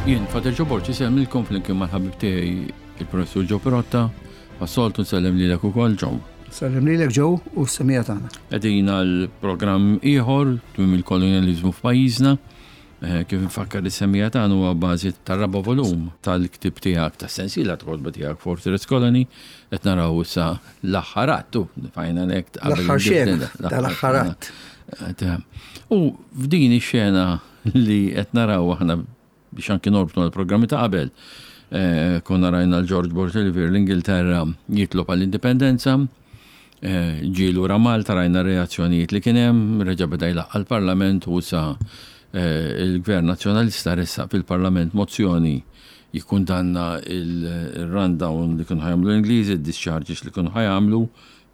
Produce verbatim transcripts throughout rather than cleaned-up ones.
Jien, Father Joe Borg, insellmilkom flimkien mal-ħabib tiegħi, il-Professur Joe Pirotta, bħas-soltu nsellem lilek ukoll, Joe. Sellem lilek, Joe, u s-semmiegħa tagħna. Qegħdin għal programm ieħor, tmiem il-kolonializmu f'pajjiżna. Eh, kif nfakkar is-semmiegħa tagħna, huwa bażi tar-raba' volum tal-ktib tiegħek, tas-sensiela ta' kotba tiegħek Fortress Colony, qed naraw issa l-aħħar attu, final act. L-aħħar xena tal-aħħar att. U f'din ix-xena li qed naraw aħna, biex anki norbtu l-programmi ta' qabel, eh, konna rajna l-George Borg Olivier l-Ingilterra jitlob għall-indipendenza, eh, ġie lura Malta, rajna reazzjonijiet li kien hemm, reġa' beda jlaqqa' l-Parlament u sa eh, il-Gvern Nazzjonalista ressaq fil-Parlament mozzjoni jikkundanna il-rundown li kienu ħa jagħmlu l-Ingliżi, il-discharges li kienu ħa jagħmlu,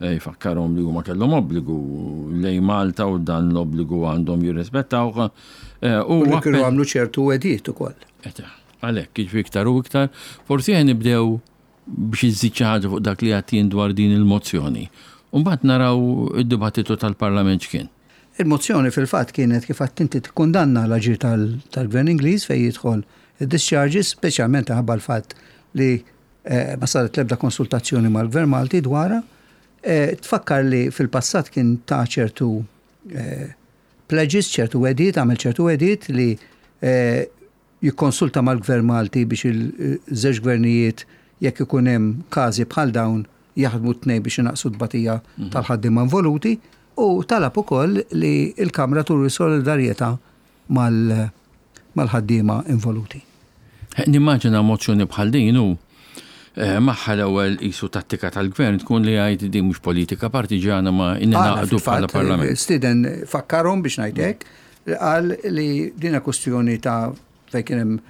jfakkarhom li huma kellhom obbligu lejn Malta u dan l-obbligu għandhom jirrispettawh. U li kienu għamlu ċertu wegħdiet ukoll. Għalhekk, jiġifieri iktar u iktar, forsi ħa nibdew biex iżid xi ħaġa fuq dak li għedt dwar din il-mozzjoni. U mbagħad naraw id-dibattitu tal-Parlament x'kien. Il-mozzjoni fil-fatt kienet, kif għedt inti, tikkundanna l-aġir tal-Gvern Ingliż fejn jidħol il-discharges, speċjalment ħabba l-fatt li eh, ma saret l-ebda konsultazzjoni mal-Gvern Malti dwarha. Eh, tfakkar li fil-passat kien ta' ċertu eh, pledges, ċertu wegħdiet, għamel ċertu wegħdiet li jikkonsulta mal-Gvern Malti biex il-żewġ gvernijiet, jekk ikun hemm każi bħal dawn, jaħdmu t-tnejn biex inaqsu tbatija mhm. tal-ħaddiema involuti, u talab ukoll li l-Kamra turi solidarjetà mal-ħaddiema involuti. Nimmaġina mozzjoni bħal din u eh, magħha l-ewwel isu tattika tal-gvern tkun li jgħid din mhux politika partiġana ma ningħaqdu bħala parlament. Stiden fakkarhom, biex ngħidlek, qal li dina kwestjoni ta' fejn kien hemm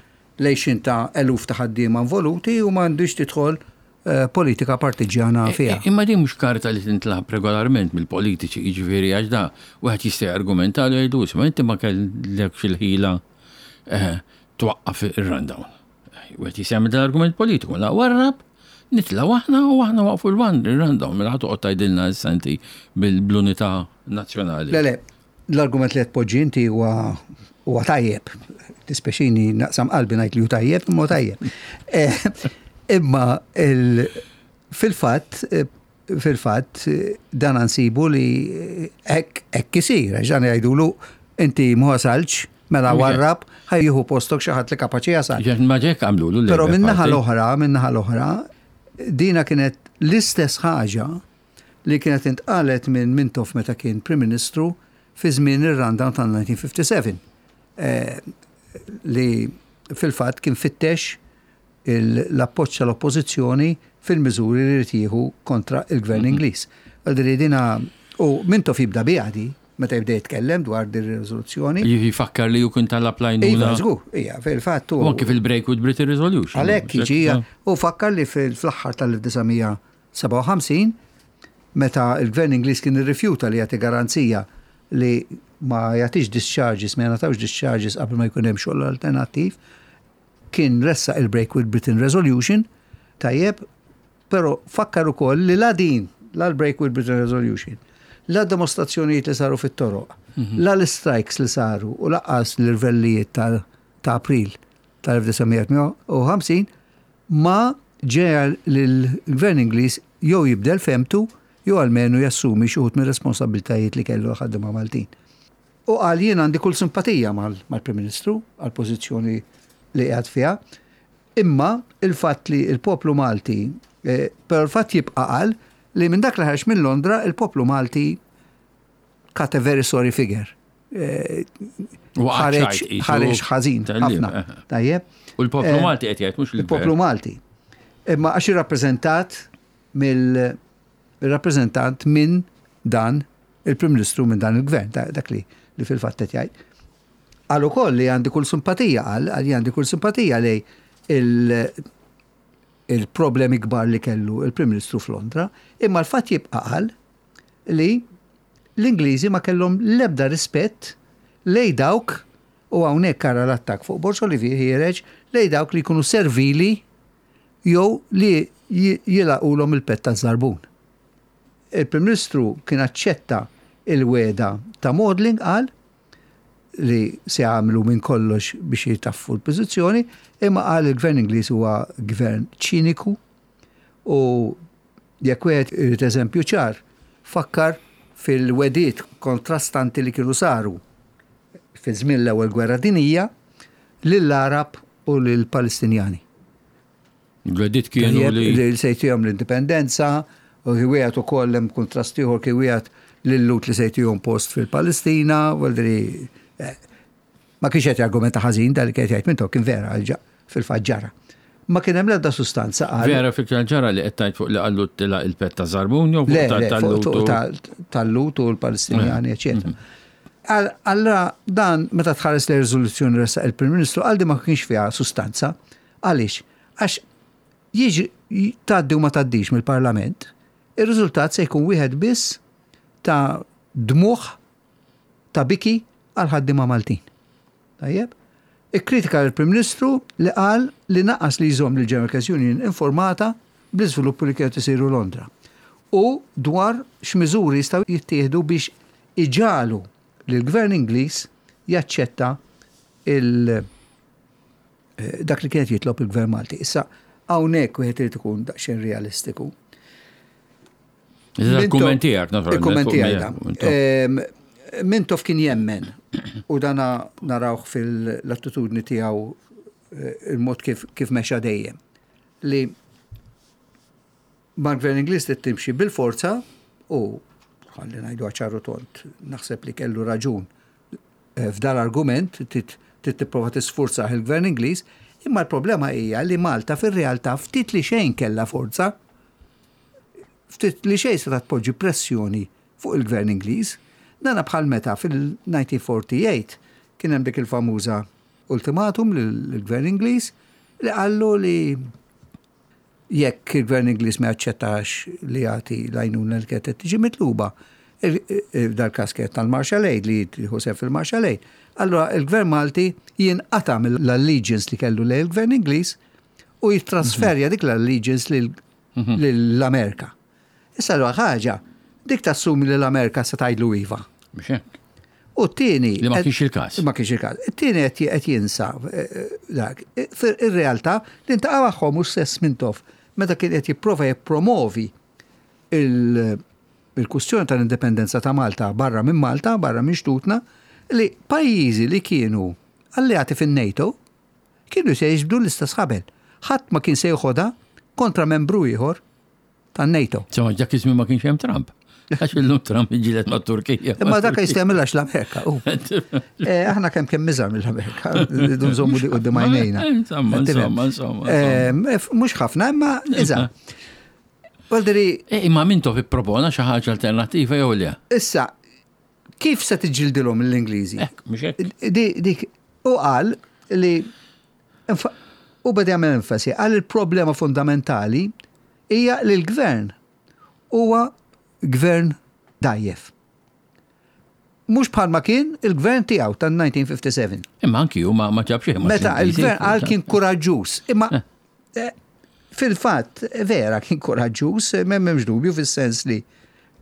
lejxin ta' eluf ta' ħaddiema involuti u m'għandux tidħol eh, politika partiġjana e, fiha. E, imma din mhux karta li tintlagħab regolarment mill-politiċi, jiġifieri għax da wieħed jista' argumenta li jgħidu, "Ma inti ma kellekx il-ħila eh, twaqqaf ir-rundown." Wieħed jista' jagħmel argument politiku, la warrab, nitilgħu aħna u aħna waqfu l-rundown, mela toqgħod tgħidilna issa inti bil-unità nazzjonali. Le, le, l-argument li qed poġġi inti huwa huwa tajjeb. Dispjaċini, naqsam qalbi ngħid li hu tajjeb, imma tajjeb. Eh, imma fil-fatt fil-fatt dan nsibu li hekk isir, għax dan jgħidulu inti ma wasaltx, mela warrab, ħa jieħu postok xi ħadd li kapaċi jasal. Ma ġek għamlu. Però minnaħa l-oħra, minnaħa l-oħra, dina kienet l-istess ħaġa li kienet intqalet minn Mintoff meta kien Prim Ministru fi żmien ir-rundown tal-elf disa' mija u sebgħa u ħamsin. Eh, li fil-fatt kien fittex l-appoġġ tal-oppożizzjoni fil-miżuri li jrid jieħu kontra il-gvern mhm. Ingliż. Għaldiri dina u Mintoff jibda biha di meta jibda jitkellem dwar din ir-riżoluzzjoni. Jifakkar li ju kien talab l-għajnuna. Iva, żgur, ija, fil-fatt. U anki fil-Break with Britain Resolution. Għalhekk jiġi u fakkar li fl-aħħar tal-elf disa' mija u sebgħa u ħamsin, meta il-gvern Ingliż kien irrifjuta li jagħti garanzija li ma jagħtix discharges, ma jagħtawx discharges qabel ma jkun hemm xogħol alternattiv, kien ressaq il-Break with Britain Resolution, tajjeb, però fakkar ukoll li la din, la l-Break with Britain Resolution, la dimostrazzjonijiet li saru fit-toroq, mhm. la l-strikes li saru u lanqas l-irvellijiet ta' April tal-elf disa' mija u ħamsin ma ġegħel l-gvern Ingliż jew jibdel fehmtu jew almenu jassumi xi wħud mir-responsabbiltajiet li kellu l-ħaddiema Maltin. U qal, jien għandi kull simpatija mal-Prim Ministru għal-pożizzjoni li qiegħed fiha, imma il-fatt li il-poplu Malti, eh, però il-fatt jibqa', qal, li minn dak li ħareġ minn Londra il-poplu Malti cut a very sorry figure. Eh, ħareġ ħażin ħafna. Eh. Tajjeb. U l-poplu eh, Malti qed jgħid, mhux il-poplu Malti. Imma għax irrappreżentat mill-rappreżentant minn dan il-Prim Ministru, minn dan il-Gvern, dak li li fil-fatt qed jgħid. Qal ukoll li għandi kull simpatija, qal li għandi kull simpatija li il-problemi kbar li kellu il-Prim Ministru f'Londra, imma l-fatt jibqa', qal, li l-Ingliżi ma kellhom l-ebda rispett lej dawk, u hawnhekk ara l-attak fuq Borg Olivier ħiereġ, lej dawk li jkunu servili jew li jilagħqulhom il-pett ta' żarbun. Il-Prim Ministru kien aċċetta il-wegħda ta' Maudling, qal, li se jagħmlu minn kollox biex jitaffu l-pożizzjoni, imma qal il-gvern Ingliż huwa gvern ċiniku u jekk wieħed irid eżempju ċar, fakkar fil-wegħdiet kontrastanti li kienu saru fi żmien l-ewwel gwerra dinjija lill-Arab u lill-Palestinjani. L-wegħdiet kienu li. Li se jtihom l-indipendenza, u wieħed ukoll hemm kontrast ieħor kien wieħed lil-Lhud li se jtihom post fil-Palestina, vuoldiri eh, ma kienx qed jargumenta ħażin dal li qed jgħid Mintoff, kien vera fil-fatt ġara. Ma kien hemm l-ebda sustanza qal. Vera fil ġara li qed tgħid fuq li qallu tila il-pett ta' żarbun jew fuq tal-Lhud u l-Palestinjani, eċetera. Mhm. Allora dan meta tħares li riżoluzzjoni ressaq il-Prim Ministru għaldi ma kienx fiha sustanza. Għaliex? Għax jiġi tgħaddi u ma tgħaddix mill-Parlament, ir-riżultat se jkun wieħed biss ta' dmugħ, ta' biki għal ħaddiema Maltin. Tajjeb? Ikkritika l-Prim Ministru li qal li naqas li jżomm lil General Workers Union informata bl-iżviluppi li kienet isiru Londra u dwar x'miżuri jistgħu jittieħdu biex iġagħlu li l-Gvern Ingliż jaċċetta il eh, dak li kienet jitlob il-Gvern Malti. Issa hawnhekk wieħed irid ikun daqsxejn realistiku. Il-kumment tiegħek, naturalment. Il-kumment tiegħek. Mintoff kien jemmen u dana narawh fil-attitudni tiegħu, eh, il-mod kif, kif mexa dejjem, li mal-gvern Ingliż li timxi bil-forza u ħalli ngħidu ċar u tond, naħseb li kellu raġun eh, f'dal argument trid tipprova tisfurza il-gvern Ingliż, imma l-problema hija li Malta fir-realtà ftit li xejn kellha forza, ftit li xejn se tpoġġi pressjoni fuq il-gvern Ingliż. Dana bħal meta fil-elf disa' mija u erbgħa u erbgħin kien hemm dik il-famuża ultimatum lill-gvern Ingliż li qallu li jekk il-gvern Ingliż ma jaċċettax li jagħti l-għajnuna li kienet tiġi mitluba, dal-każ kienet tal-Marshall Aid, li jieħu fil-Marshall Aid. Allora il-gvern Malti jinqata mill-allegiance li kellu lejn il-gvern Ingliż u jittrasferja dik l-allegiance lill-Amerika. Issa l ħaġa, dik tassumi li l-Amerika se tgħidlu iva. U t-tieni. Li ma kienx il-każ. Ma kienx il-każ. It-tieni qed jinsa eh, eh, dak. Ir-realtà li ltaqa' magħhom mhux stess Mintoff meta kien qed jipprova jippromovi il-kwistjoni tal-indipendenza ta' Malta barra minn Malta, barra minn xtutna, li pajjiżi li kienu alleati fin-NATO kienu se jiġbdu l-istess ħabel. Ħadd ma kien se jħodha kontra membru ieħor tan-NATO. Insomma, dak iż-żmien ma kienx hemm Trump. Għax illum Trump iġġieled ma' Turkija. Imma dak jista' jagħmilha l-Amerika. Eh, aħna kemm kemm iżgħar mill-Amerika, rridu nżommu di quddiem għajnejna. Insomma, insomma, insomma. Eh, mhux ħafna, imma iżgħar. Vuoldiri. Eh, imma Mintoff ippropona xi ħaġa alternattiva jew le? Issa, kif se tiġġildilhom l-Ingliżi? Mhux hekk. Dik, u qal li u beda jagħmel enfasi għal il-problema fundamentali hija li l-gvern huwa gvern dgħajjef. Mhux bħalma kien il-gvern tiegħu tan-elf disa' mija u ħamsa u sebgħin. Imma anki hu ma ġab xejn. Meta il-gvern għal kien kuraġġuż, imma eh, fil-fatt vera kien kuraġġuż, m'hemmx dubju fis-sens li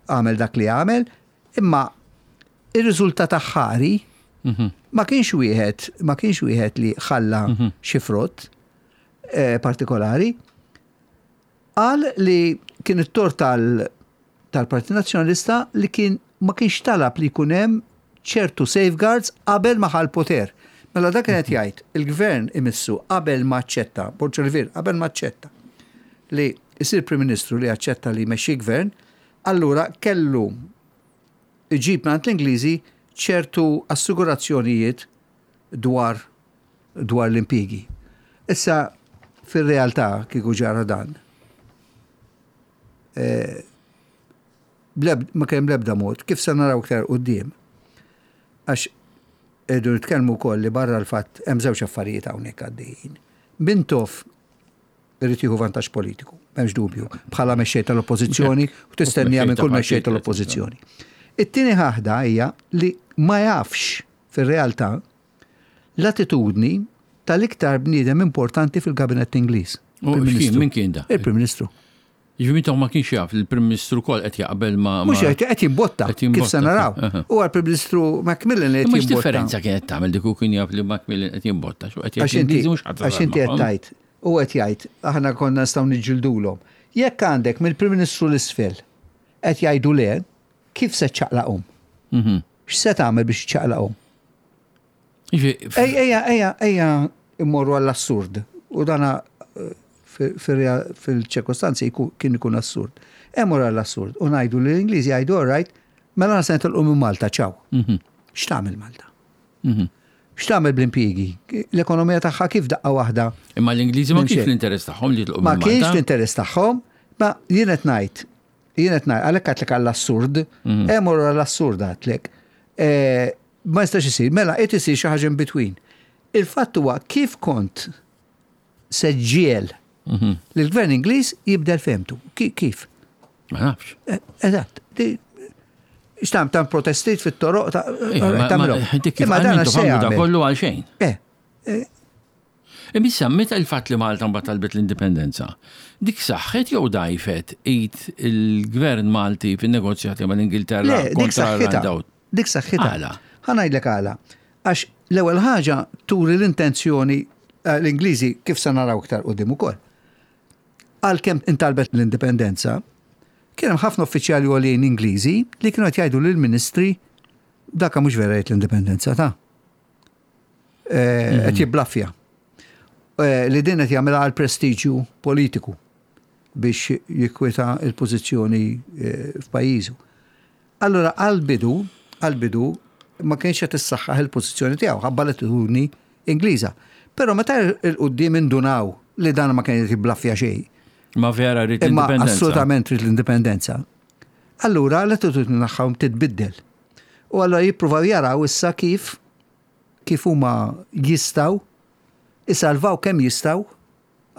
għamel dak li għamel, imma ir-riżultat aħħari mhm. ma kienx wieħed ma kienx wieħed li ħalla mhm. xi frott eh, partikolari. Qal li kien it-tort tal-Partit Nazzjonalista li kien ma kienx talab li jkun hemm ċertu safeguards qabel ma ħa l-poter. Mela dak kienet jgħid il-gvern imissu qabel ma aċċetta, Borg Olivier qabel ma aċċetta li jsir Prim Ministru, li aċċetta li jmexxi gvern, allura kellu iġib mingħand l-Ingliżi ċertu assigurazzjonijiet dwar dwar l-impjiegi. Issa fir-realtà kieku ġara dan, Eh, ma kien bl-ebda mod, kif se naraw iktar quddiem. Għax irridu nitkellmu wkoll li barra l-fatt hemm żewġ affarijiet hawnhekk għaddejjin. Mintoff irid jieħu vantaġġ politiku, m'hemmx dubju, bħala mexxej tal-oppożizzjoni u tistennija minn kull mexxej tal-oppożizzjoni. It-tieni ħaġa hija li ma jafx fir-realtà l-attitudni tal-iktar bniedem importanti fil-kabinett Ingliż. Min kien da? Il-Prim Ministru. Jiġifieri Mintoff ma kienx jaf li l-Prim Ministru kol qed jaqbel ma. Mhux qed qed jimbotta kif se naraw. U għal-Prim Ministru Macmillan li qed Imma jimbotta. x'differenza kienet tagħmel dik kien jaf li Macmillan qed jimbotta x'u qed Għax jgħid inti l-Ingliżi mhux ħadd għax inti qed tgħid, u qed jgħid, aħna konna nistgħu niġġildulhom. Jekk għandek mill-Prim Ministru l-isfel qed jgħidu le, kif se ċċaqlaqhom? Mhm. X'se tagħmel biex ċċaqlaqhom? Ej, ejja, ejja, ejja immorru għall-assurd. U dana eh, fil-ċirkostanzi kien ikun assurd. Immorru għall-assurd. U ngħidu li l-Ingliżi jgħidu, all right, mela se nitilqu minn Malta, ċaw. Mhm. X'tagħmel Malta? X'tagħmel bl-impjiegi? L-ekonomija tagħha kif daqqa waħda? Imma l-Ingliżi ma Minn kienx xejn. l-interess tagħhom li jitilqu Ma minn kienx Malta. l-interess tagħhom, ma jien qed ngħid, jien qed ngħid, għalhekk għedtlek għall-assurd, immorru għall-assurd għedtlek. Eh, Ma jistax isir, mela qed isir xi ħaġa in between. Il-fatt huwa kif kont se ġġiegħel li l-gvern Ingliż jibdel fehmtu. Ki- Kif? Ma nafx. Eh, Eżatt. Di- X'tam tam protestit fit-toroq ta' Ejja, ma- ma- tagħmilhom. Dik kif Imma dan għal x'se għamlu da jagħmel? kollu għal xejn. Eh, Imma issa meta il-fatt li Malta mbagħad talbet l-indipendenza, dik saħħet jew dajfet id il-gvern Malti fin-negozjati mal-Ingilterra Le, dik kontra saħħitha. l-handout. Dik saħħitha. Għala? Ħa ngħidlek għala. Għax l-ewwel ħaġa turi l-intenzjoni eh, l-Ingliżi kif se naraw iktar quddiem ukoll. Għalkemm intalbet l-indipendenza, kien hemm ħafna uffiċjali għoljin Ingliżi li kienu qed jgħidu lill-ministri daka mhux vera jgħid l-indipendenza ta' Eh, qed jibblaffja. Eh, Li din qed jagħmilha għal prestiġju politiku biex jikwita il-pożizzjoni eh, f'pajjiżu. Allora għal-bidu, għal-bidu ma kienx qed issaħħaħ il-pożizzjoni tiegħu ħabba l-attitudni Ingliża. Però meta il-qudiem indunaw li dan ma kien jiblaffja xejn, Ma vera rrid imma l-indipendenza. assolutament trid l-indipendenza. Allura l-attitudni tagħhom titbiddel. U allura jippruvaw jaraw issa kif kif huma jistgħu isalvaw kemm jistgħu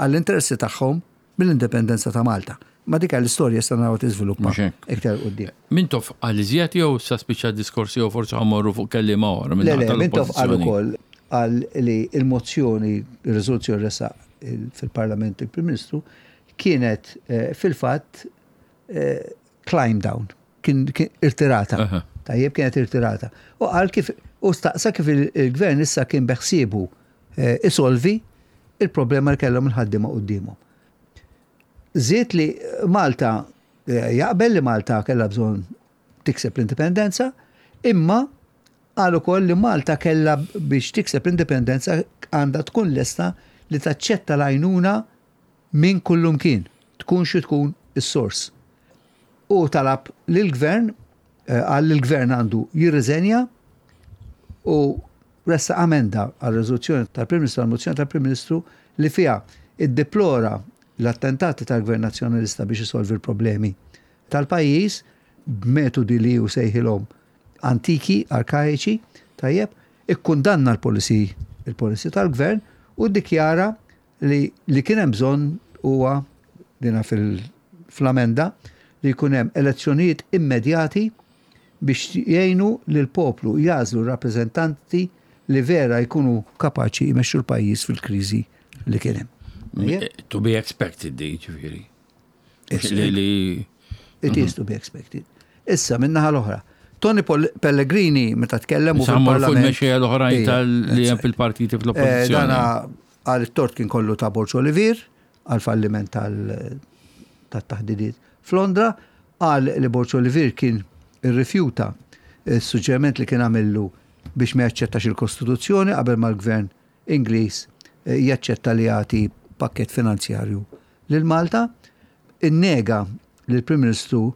għall-interessi tagħhom mill-indipendenza ta' Malta. Ma dik l-istorja issa naraw tiżviluppa Mhux hekk. iktar quddiem. Mintoff qal iżjed jew sa spiċċa diskorsi jew forsi ħa mmorru fuq kelliema oħra minn Le, le, naħa Mintoff qal tal-oppożizzjoni. ukoll qal li il-mozzjoni, il-riżoluzzjoni ressaq il- fil-Parlament il-Prim Ministru kienet eh, fil-fatt eh, climb down, kien kien irtirata. Aha. Tajjeb kienet irtirata. U qal kif u staqsa kif il- il-gvern issa kien beħsiebu eh, isolvi il-problema li kellhom il-ħaddiema quddiemhom. Żied li Malta eh, jaqbel li Malta kellha bżonn tikseb l-indipendenza, imma qal ukoll li Malta kellha biex tikseb l-indipendenza għandha tkun lesta li taċċetta l-għajnuna minn kullumkien, tkun xi tkun is-sors. U talab lill-gvern, eh, qal li l-gvern għandu jirriżenja u ressaq amenda għal riżoluzzjoni tal-Prim Ministru, għal mozzjoni tal-Prim Ministru li fiha iddeplora l-attentati tal-Gvern Nazzjonalista biex isolvi l-problemi tal-pajjiż b'metodi li hu sejħilhom antiki, arkaiċi, tajjeb, ikkundanna l-policy il-policy tal-gvern u ddikjara li li kien hemm bżonn huwa dina fil-amenda li jkun hemm elezzjonijiet immedjati biex jgħinu lil poplu jagħżlu rappreżentanti li vera jkunu kapaċi jmexxu l-pajjiż fil-kriżi li kien hemm. To be expected di, ġifieri. Yes. Li li It is to be expected. Issa, minnaħa l-oħra. Tony Pol- Pellegrini, meta tkellem u Sa mmorru fuq fil-parlament. il-mexxejja l-oħrajn Ija, tal li hemm that's fil-partiti Eh, fl-oppożizzjoni. Dana għal it-tort kien kollu ta' Borg Olivier, għal falliment tal-taħdidiet f'Londra, qal li Borg Olivier kien irrifjuta il-suġġeriment li kien għamillu biex ma jaċċettax il-Kostituzzjoni qabel ma l-Gvern Ingliż eh, jaċċetta li jagħti pakket finanzjarju lil Malta, innega li l-Prim Ministru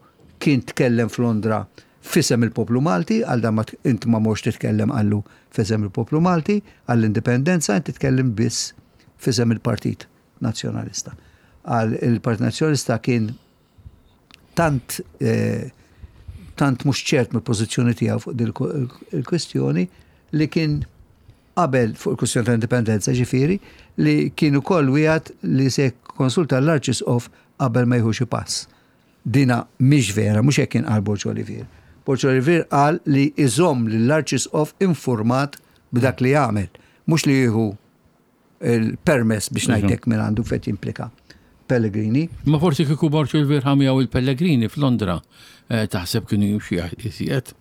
kien tkellem f'Londra f'isem il-poplu Malti, għal dan ma int ma mhux titkellem qallu f'isem il-poplu Malti, għall-indipendenza inti titkellem biss f'isem il-Partit Nazzjonalista. Għal il-Partit Nazzjonalista kien tant eh, tant mhux ċert mill-pożizzjoni tiegħu fuq din il-kwestjoni li kien qabel fuq il-kwestjoni tal-indipendenza ġifieri li kien ukoll wieħed li se konsulta l-Arċisqof qabel ma jieħu xi pass. Dina mhix vera, mhux hekk kien qal Borg Olivier. Borg Olivier qal li iżomm lill-Arċisqof informat b'dak li jagħmel, mhux li jieħu il-permess biex ngħidlek minn għandu fejn jimplika Pellegrini. Ma forsi kieku Borg Olivier ħa miegħu il-Pellegrini f'Londra, eh, taħseb kienu jimxi iżjed.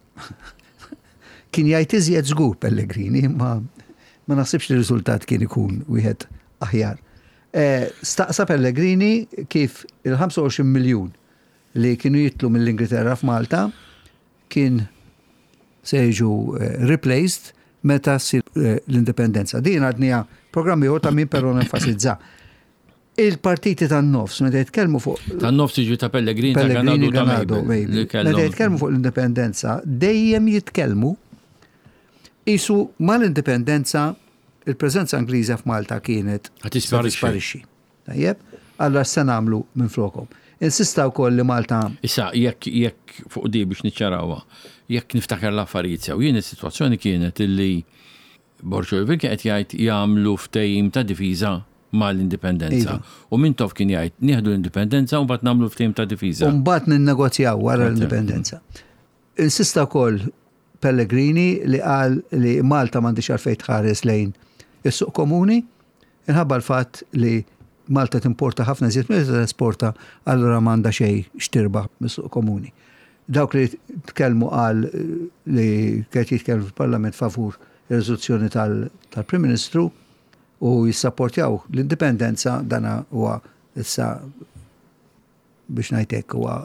Kien jgħid iżjed żgur Pellegrini, ma ma naħsibx li r-riżultat kien ikun wieħed aħjar. Eh, staqsa Pellegrini kif il-ħamsa u għoxrin miljun li kienu jitilgħu mill-Ingilterra f'Malta kien se jiġu eh, replaced meta ssir eh, l-indipendenza. Din għadnieha programmi ieħor ta' min però nenfasizza. Il-partiti tan-nofs meta jitkellmu fuq Tan-nofs jiġu ta' Pellegrini, ta' Pellegrini, Ganado, ta' Ganado, Mabel, Mabel. li Meta kellhom- jitkellmu fuq l-indipendenza, dejjem jitkellmu qisu mal-indipendenza il-preżenza Ingliża f'Malta kienet Ħa tisparixxi. se tisparixxi. Tajjeb, allura se nagħmlu minn flokom. Insista wkoll li Malta Issa, jekk jekk fuq di biex niċċarawha, jekk niftakar l-affarijiet sew, jien is-sitwazzjoni kienet illi Borg Olivier kien qed jgħid jagħmlu ftehim ta' difiża mal-indipendenza. Iva. U Mintoff kien jgħid nieħdu l-indipendenza u mbagħad nagħmlu ftehim ta' difiża. U mbagħad ninnegozjaw wara l-indipendenza. Insista wkoll Pellegrini li qal li Malta m'għandix għalfejn tħares lejn is-suq komuni, inħabba l-fatt li Malta timporta ħafna iżjed milli tesporta, allura m'għandha xejn x'tirbaħ mis-suq komuni. Dawk li tkellmu qal li qed jitkellmu fil-Parlament favur ir-riżoluzzjoni tal-Prim Ministru u jissapportjaw l-indipendenza, dana huwa issa biex ngħidlek huwa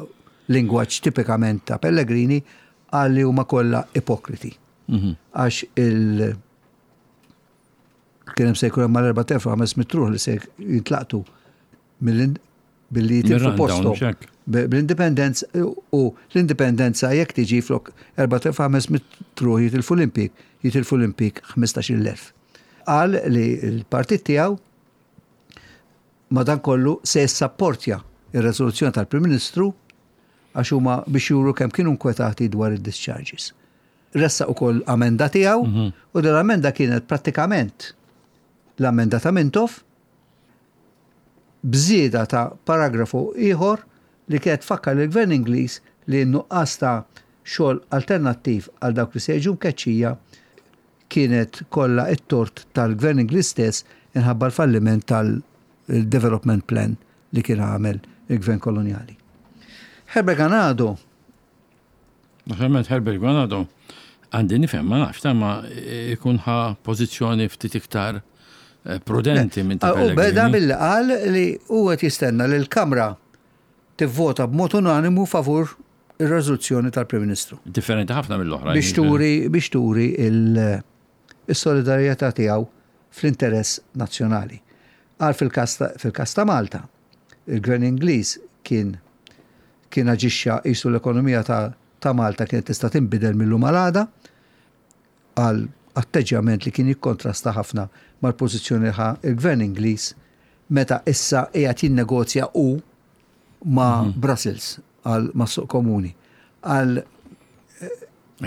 lingwaġġ tipikament ta' Pellegrini, qal li huma kollha ipokriti. Mhm. Għax il kien hemm se jkun hemm mal-erbat elef u ħames mitt ruħ li se jintlaqtu mill- billi jitilfu Mir-rundown, posthom. xek. Bl-indipendenza u l-indipendenza jekk tiġi flok erbat elef u ħames mitt ruħ jitilfu l-impjieg, jitilfu l-impjieg ħmistax-il elf. Qal li l-partit tiegħu madankollu se jissapportja ir-rezoluzzjoni tal-Prim Ministru għax huma biex juru kemm kienu nkwetati dwar id-discharges. Ressaq ukoll amenda tiegħu u din l-amenda kienet prattikament l-amenda ta' Mintoff bżieda ta' paragrafu ieħor li kienet fakkar lill-Gvern Ingliż li n-nuqqas ta' xogħol alternattiv għal dawk li se jiġu mkeċċija kienet kollha it-tort tal-Gvern Ingliż stess inħabba l-falliment tal-development plan li kien għamel il-Gvern koloniali. Herbert Ganado. Naturalment Herbert Ganado għandi nifhem, ma nafx, ta' ma ikun ħa pożizzjoni ftit iktar eh, prudenti minn ta' U beda Pellegrini. billi qal li huwa qed jistenna li l-Kamra tivvota b'mod unanimu favur ir-riżoluzzjoni tal-Prim Ministru. Differenti ħafna mill-oħra. Biex turi biex turi il- is-solidarjetà tiegħu fl-interess nazzjonali. Għal fil-kas ta' fil-kas ta' Malta, il-Gvern Ingliż kien kien aġixxa qisu l-ekonomija ta', ta' Malta kienet tista' tinbidel mill-lum għal għada, għal atteġġjament li kien jikkontrasta ħafna mal-pożizzjoni ħa il-Gvern Ingliż meta issa qiegħed jinnegozja u ma' Brussels għal mas-suq komuni. Għal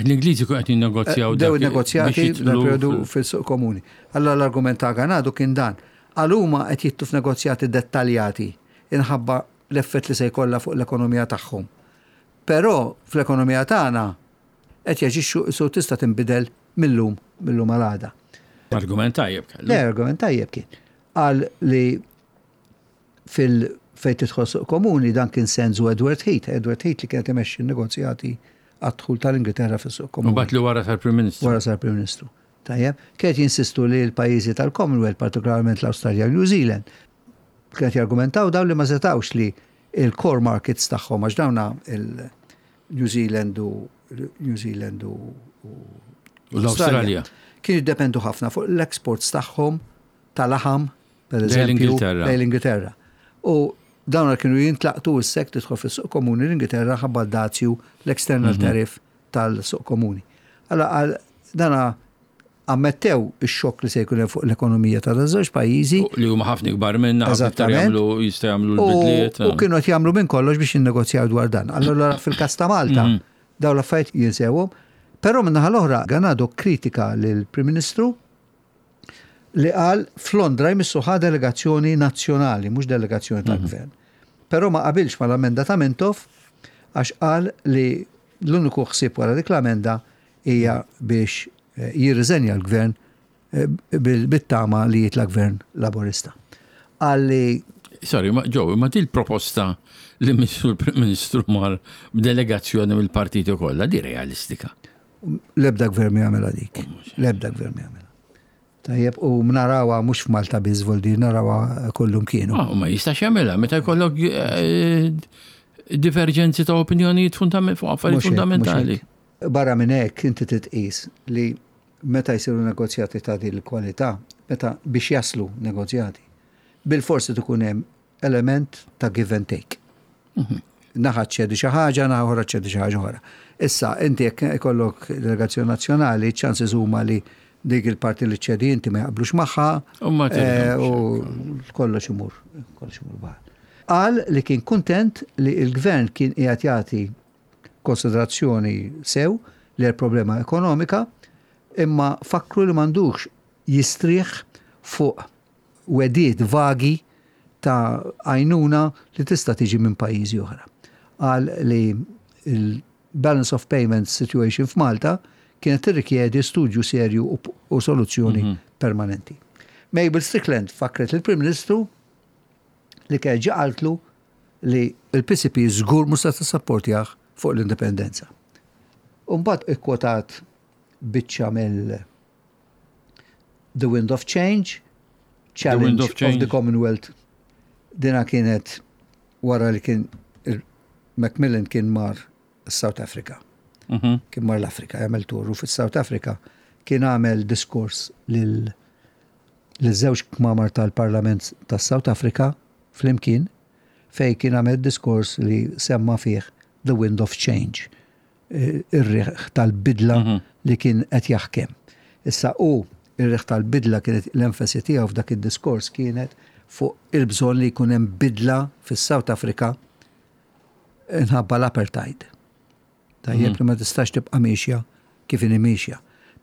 L-Ingliżi kun qed jinnegozjaw dew dak- negozjati biex jidħlu dal-periodu fil- fil-suq komuni. Allora l-argument ta' Ganado kien dan. Għal huma qed jitilgħu f'negozjati dettaljati inħabba l-effett li se jkollha fuq l-ekonomija tagħhom. Però fl-ekonomija tagħna qed jaġixxu su tista' tinbidel millum millum għal għada. Argument tajjeb kellu. Le, argument tajjeb kien. Qal li fil fejn tidħol suq komuni dan kien sensu Edward Heath, Edward Heath li kienet imexxi n-negozjati għad-dħul tal-Ingilterra fis-suq komuni. U mbagħad li wara sar Prim Ministru. Wara sar Prim Ministru. Tajjeb, kienet jinsistu li l-pajjiżi tal-Commonwealth, partikolarment l-Awstralja u New Zealand, kienet jargumentaw daw li ma setawx li il-core markets tagħhom għax dawna il-New Zealand u New Zealand u U l-Awstralja. kienu jiddependu ħafna fuq l-exports tagħhom tal-laħam, per Lejn eżempju, l-Ingilterra. lejn l-Ingilterra. U dawn kienu jintlaqtu s-sek tidħol fis-suq komuni l-Ingilterra ħabba dazju l-external Mhm. tariff tal-suq komuni. Allora għal dana ammettew ix-xokk li se jkun hemm fuq l-ekonomija ta' żewġ pajjiżi Li huma ħafna ikbar minna, ħafna iktar Eżattament. jagħmlu jistgħu jagħmlu u l-bidliet. u kienu qed jagħmlu minn kollox biex jinnegozjaw dwar dan. Allora fil-każ ta' Malta Mhm. dawn l-affarijiet jinsewhom. Però min-naħa l-oħra Ganado kritika lill-Prim Ministru li qal f'Londra jmissu ħa delegazzjoni nazzjonali, mhux delegazzjoni tal-gvern. Però ma qabilx mal-amenda ta' Mintoff għax qal li l-uniku ħsieb wara dik l-amenda hija biex eh, jirriżenja l-gvern eh, bil- bit-tama li jitla' gvern laborista. Qal li Sorry, ma Joe, ma dil proposta li missu l-Prim Ministru mar b'delegazzjoni mill-partiti kollha, di realistika? L-ebda gvern ma jagħmilha dik. L-ebda gvern ma jagħmilha. Tajjeb, u narawha mhux f'Malta biss, voldi narawha kullum kienu. Ah, u ma jistax jagħmilha meta jkollok eh, diverġenzi ta' opinjonijiet fundament- fuq affarijiet Mhux hekk, mhux fundamentali. hekk. Barra minn hekk inti titqis li meta jsiru negozjati ta' din il-kwalità, meta biex jaslu negozjati, bil-forsi tkun hemm element ta' give and take. Naħa ċedi xi ħaġa, naħa oħra ċedi xi ħaġa oħra. Issa, inti jekk ikollok delegazzjoni nazzjonali, ċansi huma li dik il-parti li ċedi inti ma jaqblux magħha U ma eh, tirħemx. u kollox imur, kollox imur baħar. Qal li kien kuntent li il-gvern kien qiegħed jagħti konsiderazzjoni sew li l-problema ekonomika, imma fakru li m'għandux jistrieħ fuq wegħdiet vagi ta' għajnuna li tista' tiġi minn pajjiżi oħra. Qal li il-balance of payments situation f'Malta kienet tirrikjedi studju serju u, u soluzzjoni mm -hmm. permanenti. Mabel Strickland fakret il-Prim Ministru li kien ġa qaltlu li il-P C P żgur mhux se tissapportjah fuq l-indipendenza. Umbagħad ikkwotat biċċa mill The Wind of Change, Challenge Wind of of, Change. the Commonwealth. Dina kienet wara li kien il- Macmillan kien mar South Africa. Mhm. Kien mar l-Afrika, jagħmel tour u fis-South Africa kien għamel diskors lil lil żewġ kmamar tal-Parlament tas-South Africa flimkien, fej kien għamel diskors li semma fih The Wind of Change, eh, ir-riħ tal-bidla Mhm. li kien qed jaħkem. Issa u ir-riħ tal-bidla kienet l-enfasi tiegħu f'dak id-diskors kienet fuq il-bżonn li jkun hemm bidla fis-South Africa inħabba l-apartheid. Tajjeb, li ma tistax tibqa' miexja kif inhi miexja.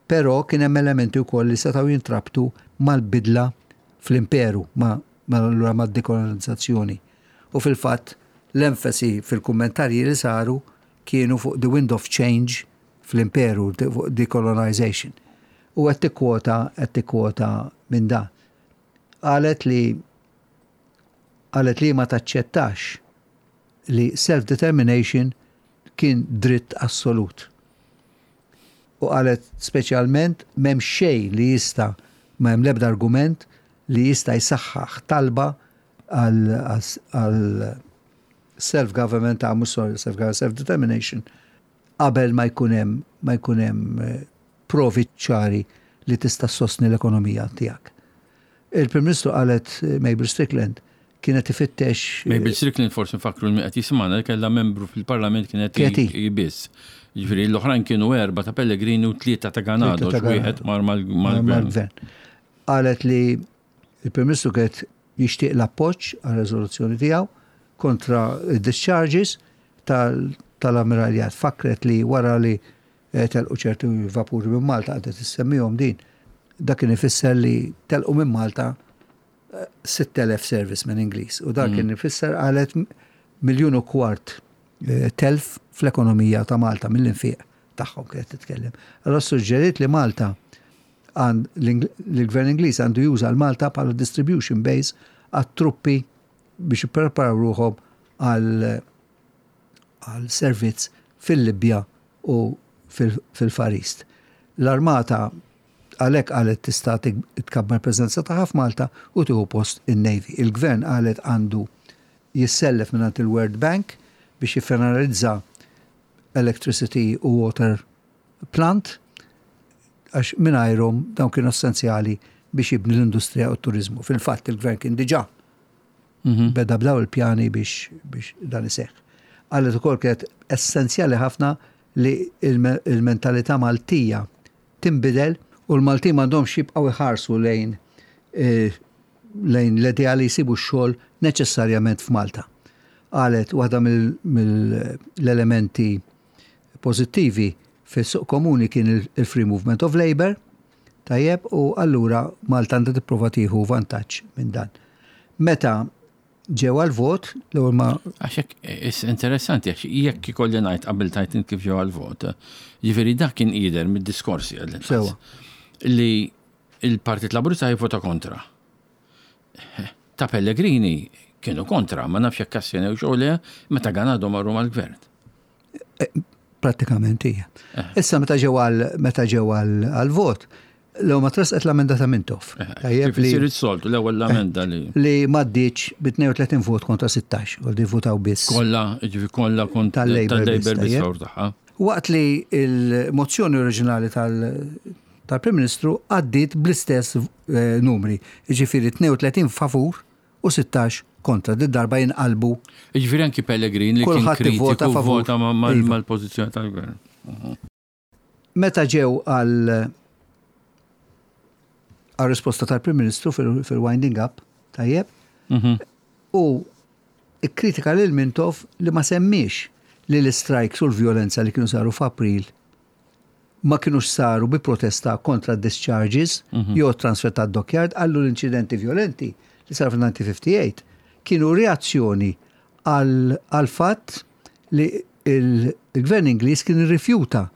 Però kien hemm elementi wkoll li setgħu jintrabtu mal-bidla fl-imperu, ma ma allura mad-dekolonizzazzjoni. U fil-fatt l-enfasi fil-kummentarji li saru kienu fuq the wind of change fl-imperu, fuq decolonization. U qed tikkwota qed tikkwota minn dan. Qalet li qalet li ma taċċettax li self-determination kien dritt assolut. U qalet speċjalment m'hemm xejn li jista', ma hemm l-ebda argument li jista' jsaħħaħ talba għal għal self-government, ta' mhux, sorry, self-government, self-determination qabel ma jkun hemm ma jkun hemm eh, provi ċari li tista' sostni l-ekonomija tiegħek. Il-Prim Ministru qalet, eh, Mabel Strickland kienet ifittex eh, Mabel Strickland, forsi nfakru li qed jisimgħana, li kellha membru fil-Parlament kienet Kienet hi. hi biss. Ġifieri l-oħrajn kienu erba ta' Pellegrini u tlieta ta' Ganado, Tlieta ta' wieħed mar mal- mal- mal-gvern. mal-gvern. Qalet li il-Prim Ministru kienet jixtieq l-appoġġ għal riżoluzzjoni tiegħu kontra discharges tal- tal-ammiraljat. Fakret li wara li eh, telqu ċertu vapuri minn Malta, għadet issemmihom din. Dak kien ifisser li telqu minn Malta eh, sitt elef serviceman Ingliż. U dak kien ifisser, qalet, miljun u kwart eh, telf fl-ekonomija ta' Malta mill-infiq tagħhom kienet titkellem. Allora suġġeriet li Malta għand l-gvern Ingliż għandu juża l-Malta bħala distribution base għat-truppi biex jippreparaw ruħhom għal għal servizz fil-Libja u fil- fil-Far East. L-armata għalhekk, qalet, tista' tkabbar preżenza tagħha f'Malta u tieħu post in-Navy. Il-gvern, qalet, għandu jissellef minn il-World Bank biex jiffinalizza electricity u water plant, għax mingħajrhom dawn kienu essenzjali biex jibni l-industrija u t-turizmu. Fil-fatt il-gvern kien diġà Mhm. beda b'daw il-pjani biex, biex dan iseħħ. Qalet ukoll kienet essenzjali ħafna li il-me- il-mentalità Maltija tinbidel u l-Maltin m'għandhomx jibqgħu iħarsu lejn eh, lejn l-idea li jsibu x-xogħol neċessarjament f'Malta. Qalet waħda mill-elementi pożittivi fis-suq komuni kien il- il-free movement of labor, tajjeb, u allura Malta għandha tipprova tieħu vantaġġ minn dan. Meta ġew għal-vot, l-ewwel ma Għax hekk, is interessanti, għax jekk ikolli ngħid qabel tajt int kif ġew għal-vot, ġifieri dak kien jidher mid-diskorsi għall Sewa. li il-Partit Laburista jivvota kontra. Ta' Pellegrini Kienu kontra, ma nafx jekk astjenew jew le, meta Ganado marru mal-gvern. Eh, prattikament hija. Eh. Issa meta ġew għal meta ġew għal vot, l ma tressqet l-amenda ta' Mintoff. Eh, tajjeb li sir soltu l-ewwel l-amenda li. Li m'għaddietx bi tnejn u tletin vot kontra sittax, u li votaw biss. Kollha, ġifi kollha kontra tal-Labor biss tagħha. Waqt li il-mozzjoni oriġinali tal-Prim Ministru għaddiet bl-istess eh, numri, ġifieri tnejn u tletin favur u sittax kontra, di darba jinqalbu. Ġifieri anki Pellegrin li kien kritiku vota iva. mal-pożizzjoni tal-gvern. Meta ġew għal għal risposta tal-Prim Ministru fil-winding up, tajjeb, mhm. u kritika lil Mintoff li ma semmiex li l-strikes u l-violenza li kienu saru f'April ma kienux saru bi protesta kontra discharges mhm. jew transfer ta' dockyard. Għallu l-inċidenti violenti li saru fil-elf disa' mija u ħamsa u ħamsin kienu reazzjoni għal fatt li il-gvern Ingliż kien irrifjuta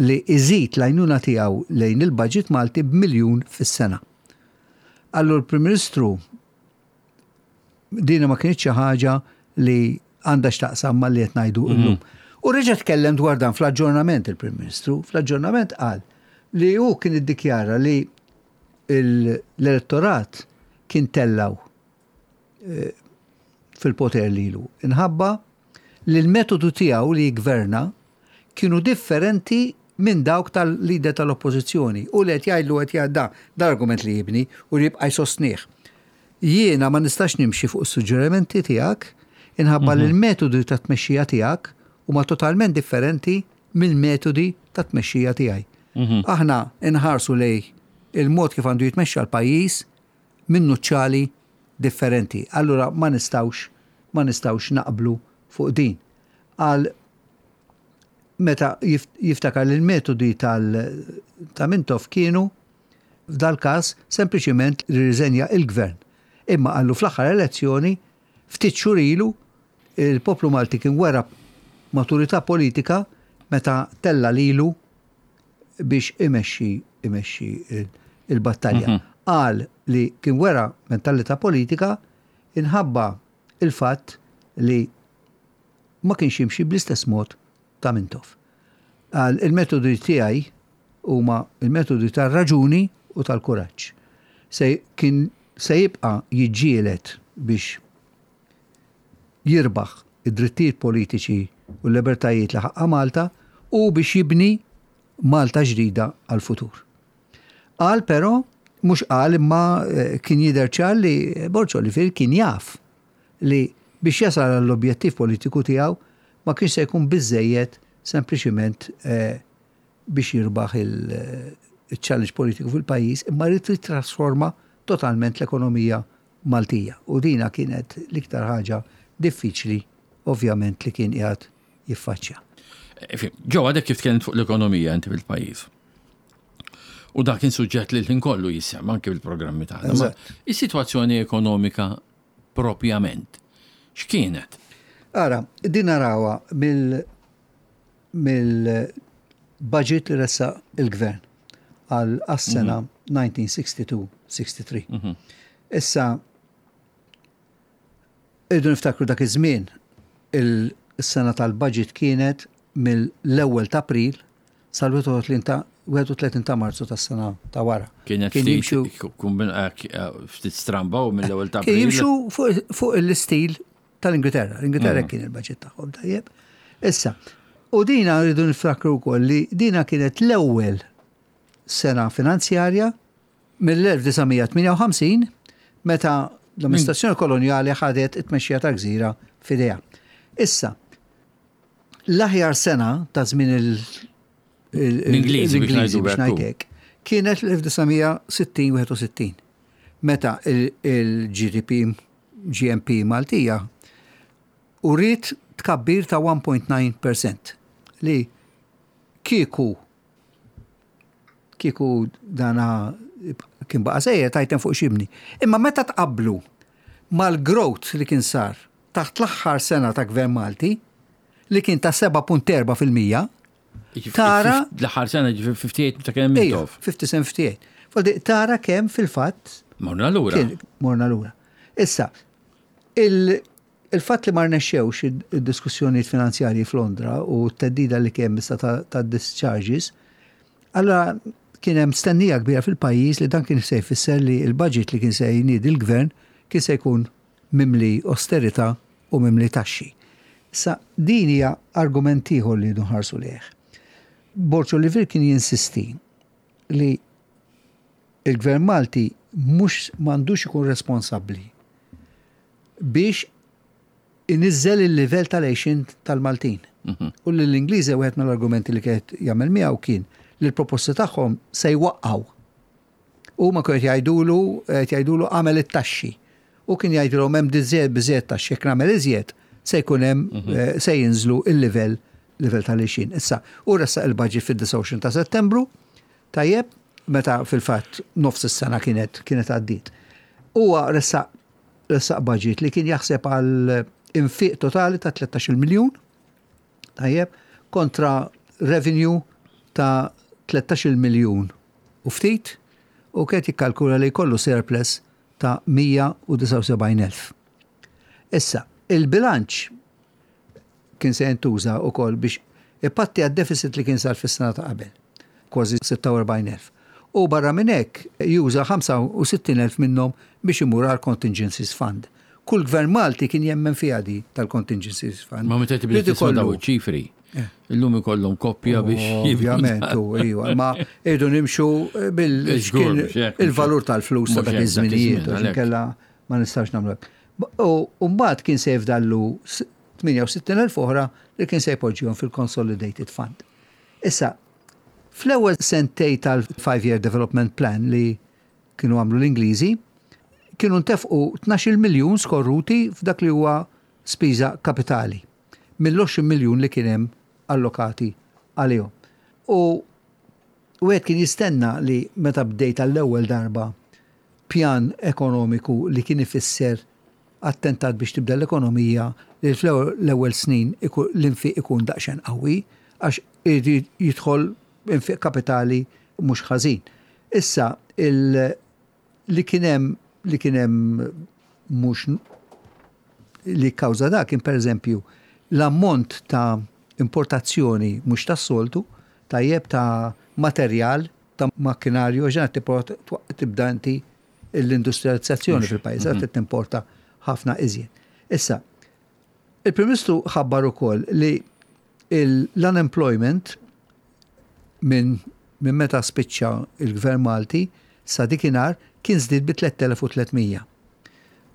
li iżid l-għajnuna tiegħu lejn il-budget Malti b'miljun fis-sena. Allura l-Prim Ministru dina ma kienx xi ħaġa li għandha x'taqsam ma li qed ngħidu mhm. llum. U reġa' tkellem dwar dan fl-aġġornament il-Prim Ministru, fl-aġġornament qal li hu kien iddikjara li l-elettorat kien tellgħu eh, fil-poter lilu. Inħabba li l-metodu tiegħu li jgverna kienu differenti minn dawk tal-lider tal-oppożizzjoni. U li qed jgħidlu, qed jgħid da, argument li jibni u li jibqa' jsostnih. Jiena ma nistax nimxi fuq is-suġġerimenti tiegħek inħabba li mhm. l-metodi ta' tmexxija tiegħek huma totalment differenti mill-metodi ta' tmexxija tiegħi. Mhm. Aħna nħarsu lej il-mod kif għandu jitmexxa l-pajjiż minn nuċċali differenti. Allura ma nistawx ma nistawx naqblu fuq din. Għal meta jiftakar li l-metodi ta' Mintoff kienu f'dal każ sempliċiment riżenja il-gvern. Imma għallu fl-aħħar elezzjoni ftit xhur ilu il-poplu Malti kien wera maturità politika meta tella lilu biex imexxi imexxi il-battalja. Mhm. Qal li kien wera mentalità politika inħabba il-fatt li ma kienx jimxi bl-istess mod ta' Mintoff. Qal il-metodi tiegħi huma il-metodi tar-raġuni u tal-kuraġġ. Se kien se jibqa' jiġġieled biex jirbaħ id-drittijiet politiċi u l-libertajiet li ħaqqa Malta u biex jibni Malta ġdida għal-futur. Qal però, mhux qal imma eh, kien jidher ċar li Borg Olivier kien jaf li biex jasal għall-objettiv politiku tiegħu ma kienx se jkun biżejjed sempliċiment eh, biex jirbaħ il-challenge politiku fil-pajjiż, imma rrid trasforma totalment l-ekonomija Maltija. U dina kienet l-iktar ħaġa diffiċli, ovvjament, li kien qiegħed jiffaċċja. Ġo, għadek kif tkellimt fuq l-ekonomija inti fil-pajjiż. U dak kien suġġett li l-ħin kollu jissemma anke fil-programmi tagħna. Is-sitwazzjoni ekonomika propjament, x'kienet? Ara, din narawha mill mill-budget li ressaq il-gvern għal sena elf disa' mija u sittaw sittaw. Mhm. Issa, irridu niftakru dak iż-żmien il-sena tal-budget kienet mill-ewwel ta' April sal-wieħed u tletin ta' wieħed u tletin ta' Marzu tas-sena ta' wara. Kienet Kien jimxu ftit stramba u mill-ewwel ta' Kien jimxu fuq l-istil tal-Ingilterra. L-Ingilterra mm. kien il-budget tagħhom, tajjeb. Issa, u dina rridu niftakru wkoll li dina kienet l-ewwel sena finanzjarja mill-elf disa' mija tmienja u ħamsin meta l-amministrazzjoni koloniali ħadet it-tmexxija ta' gżira f'idejha. Issa, l-aħjar sena ta' żmien l-Ingliżi biex ngħidlek kienet l-elf disa' mija sittin wieħed u sittin meta il-G D P G N P Maltija uriet tkabbir ta' wieħed punt disa' fil-mija li kieku kieku dana kien baqa sejjer tajten fuq xibni. Imma meta tqablu mal-growth li kien sar taħt l-aħħar sena ta' Gvern Malti li kien ta' seba' punt erba' fil-mija tara L-aħħar sena, ġifieri ħamsa u ħamsin ta' kemm Mintoff. ħamsa u sebgħin, ħamsa u tmenin. Tara kemm fil-fatt Morna lura. Morna lura. Issa, Il-fatt li ma rnexxewx id-diskussjonijiet finanzjarji f'Londra u t-theddida li kien issa ta' discharges, allora kien hemm stennija kbira fil-pajjiż li dan kien se jfisser li l-budget li kien se jniedi l-gvern kien se jkun mimli austerità u mimli taxxi. Sa din hija argument ieħor li nħarsu lejh. Borg Olivier kien jinsisti li il-gvern Malti mhux m'għandux ikun responsabbli biex inizzel il-livell tal-għixien tal-Maltin. Mhm. U l-Ingliżi, wieħed mill-argumenti li kienet jagħmel miegħu kien li l-proposti tagħhom se jwaqqaw. U ma kienet jgħidulu jgħidulu għamel it-taxxi. U kien jgħidulhom hemm diżejjed biżejjed taxxi, jekk nagħmel iżjed se jkun hemm mhm. eh, se jinżlu il-livell livell tal-għixien. Issa, u ressaq il-budget fid-disgħa u għoxrin ta' Settembru, tajjeb, meta fil-fatt nofs is-sena kienet kienet għaddiet. Huwa ressaq ressaq budget li kien jaħseb għal infiq totali ta' tlettax-il miljun, tajjeb, kontra revenue ta' tlettax-il miljun u ftit, u kien jikkalkula li jkollu surplus ta' mija u disgħa u sebgħin elf. Issa, il-bilanċ kien se jintuża wkoll biex ipatti għad-deficit li kien sar fis-sena ta' qabel, kważi sitta u erbgħin elf. U barra minn hekk juża ħamsa u sittin elf minnhom biex imur għal Contingencies Fund. Kull gvern Malti kien jemmen fiha di tal-Contingencies Fund. Ma meta tibda tisma' daw ċifri, eh. illum ikollhom koppja biex. Ovvjament, iva, ma irdu nimxu bil-valur tal-flus ta' dak iż-żminijiet, kella ma nistax nagħmlu. U mbagħad kien se jifdallu tmienja u sittin elf oħra li kien se jpoġġihom fil-Consolidated Fund. Issa, fl-ewwel sentej tal-Five Year Development Plan li kienu għamlu l-Ingliżi, kienu ntefqu tnax-il miljun skorruti f'dak li huwa spiża kapitali mill-għoxrin miljun li kien hemm allokati għalihom. U wieħed kien jistenna li meta bdejt għall-ewwel darba pjan ekonomiku li kien ifisser attentat biex tibda l-ekonomija, li fl-ewwel snin l-infiq ikun daqsxejn qawwi għax irid jidħol infiq kapitali mhux ħażin. Issa il li kien hemm li kien hemm mhux li kawża da kien, pereżempju, l-ammont ta' importazzjoni mhux tas-soltu, tajjeb, ta' materjal, ta' makkinarju, ġena tibda inti l-industrializzazzjoni fil-pajjiż, mm timporta ħafna iżjed. Issa, il-Prim Ministru ħabbar ukoll li l-unemployment minn min meta spiċċa il-Gvern Malti sa dikinhar kien żdied bi tliet elef u tliet mija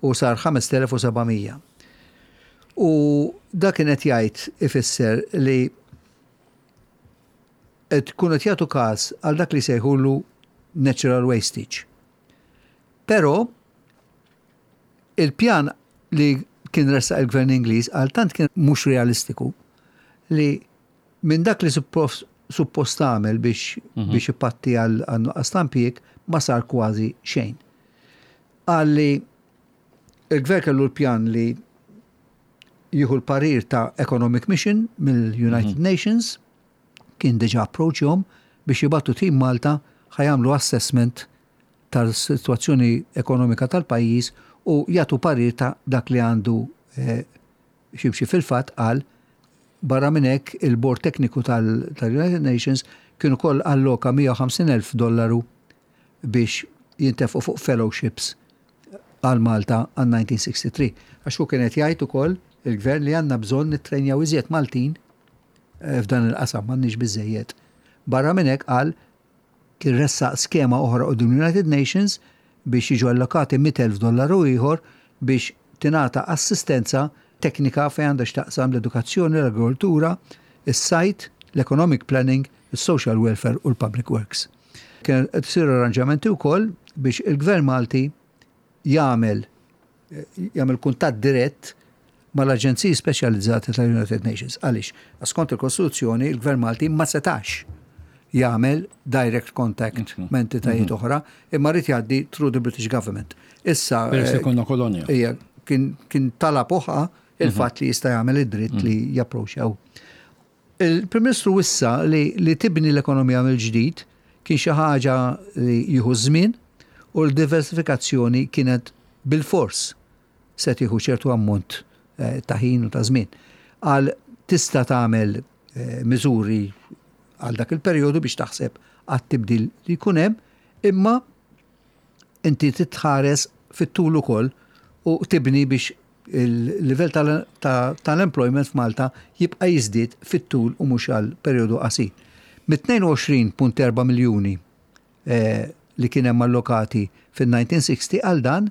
u sar ħamest elef u seba' mija. U dak kienet jgħid ifisser li qed tkun qed jagħtu każ għal dak li sejħulu natural wastage. Però il-pjan li kien ressaq il-gvern Ingliż għal tant kien mhux realistiku li minn dak li suppost tagħmel biex mhm. biex ipatti għal nuqqas ta' impjieg ma sar kważi xejn. Qal li il-gvern kellu l-pjan li jieħu l-parir ta' Economic Mission mill-United mm -hmm. Nations, kien diġa approachjom biex jibagħtu tim Malta ħa jagħmlu assessment tal-situazzjoni ekonomika tal-pajjiż u jagħtu parir ta' dak li għandu eh, ximxi. Fil-fatt qal barra minn hekk il-Bord Tekniku tal-United Nations kienu koll alloka mija u ħamsin elf dollaru biex jintefqu fuq fellowships għal Malta għal elf disa' mija u sitta u sittin. Għax hu kienet jgħid ukoll il-gvern li għandna bżonn nitrenjaw iżjed Maltin eh, f'dan il-qasam, m'għandniex biżejjed. Barra minn hekk qal kien ressaq skema oħra quddiem United Nations biex jiġu allokati mitt elf dollaru ieħor biex tingħata assistenza teknika fejn għandha x'taqsam l-edukazzjoni, l-agrikoltura, is-sajd, l-economic planning, is-social welfare u l-public works. Kien qed isiru arranġamenti wkoll biex il-Gvern Malti jagħmel jagħmel kuntatt dirett mal-aġenziji speċjalizzati tal-United Nations. Għaliex? Skont il-Kostituzzjoni, il-Gvern Malti ma setax jagħmel direct contact mhm. ma' entitajiet mhm. oħra, imma rrid jgħaddi through the British government. Issa. Peress li konna kolonja. Ija, kien, kien talab oħra il-fatt li jista' jagħmel id-dritt li japproċċjaw. Il-Prim Ministru wissa li, li tibni l-ekonomija mill-ġdid kien xi ħaġa li jieħu żmien u l-diversifikazzjoni kienet bil-fors se tieħu ċertu ammont eh, ta' ħin u ta' żmien. Għal tista' tagħmel eh, miżuri għal dak il-perjodu biex taħseb għat-tibdil li jkun hemm, imma inti titħares fit-tul ukoll u tibni biex il-livell tal-employment f'Malta jibqa' jiżdied fit-tul u mhux għal perjodu qasir. Mit-tnejn u għoxrin punt erba' miljuni eh, li kien hemm allokati fil-elf disa' mija u sittin għal dan,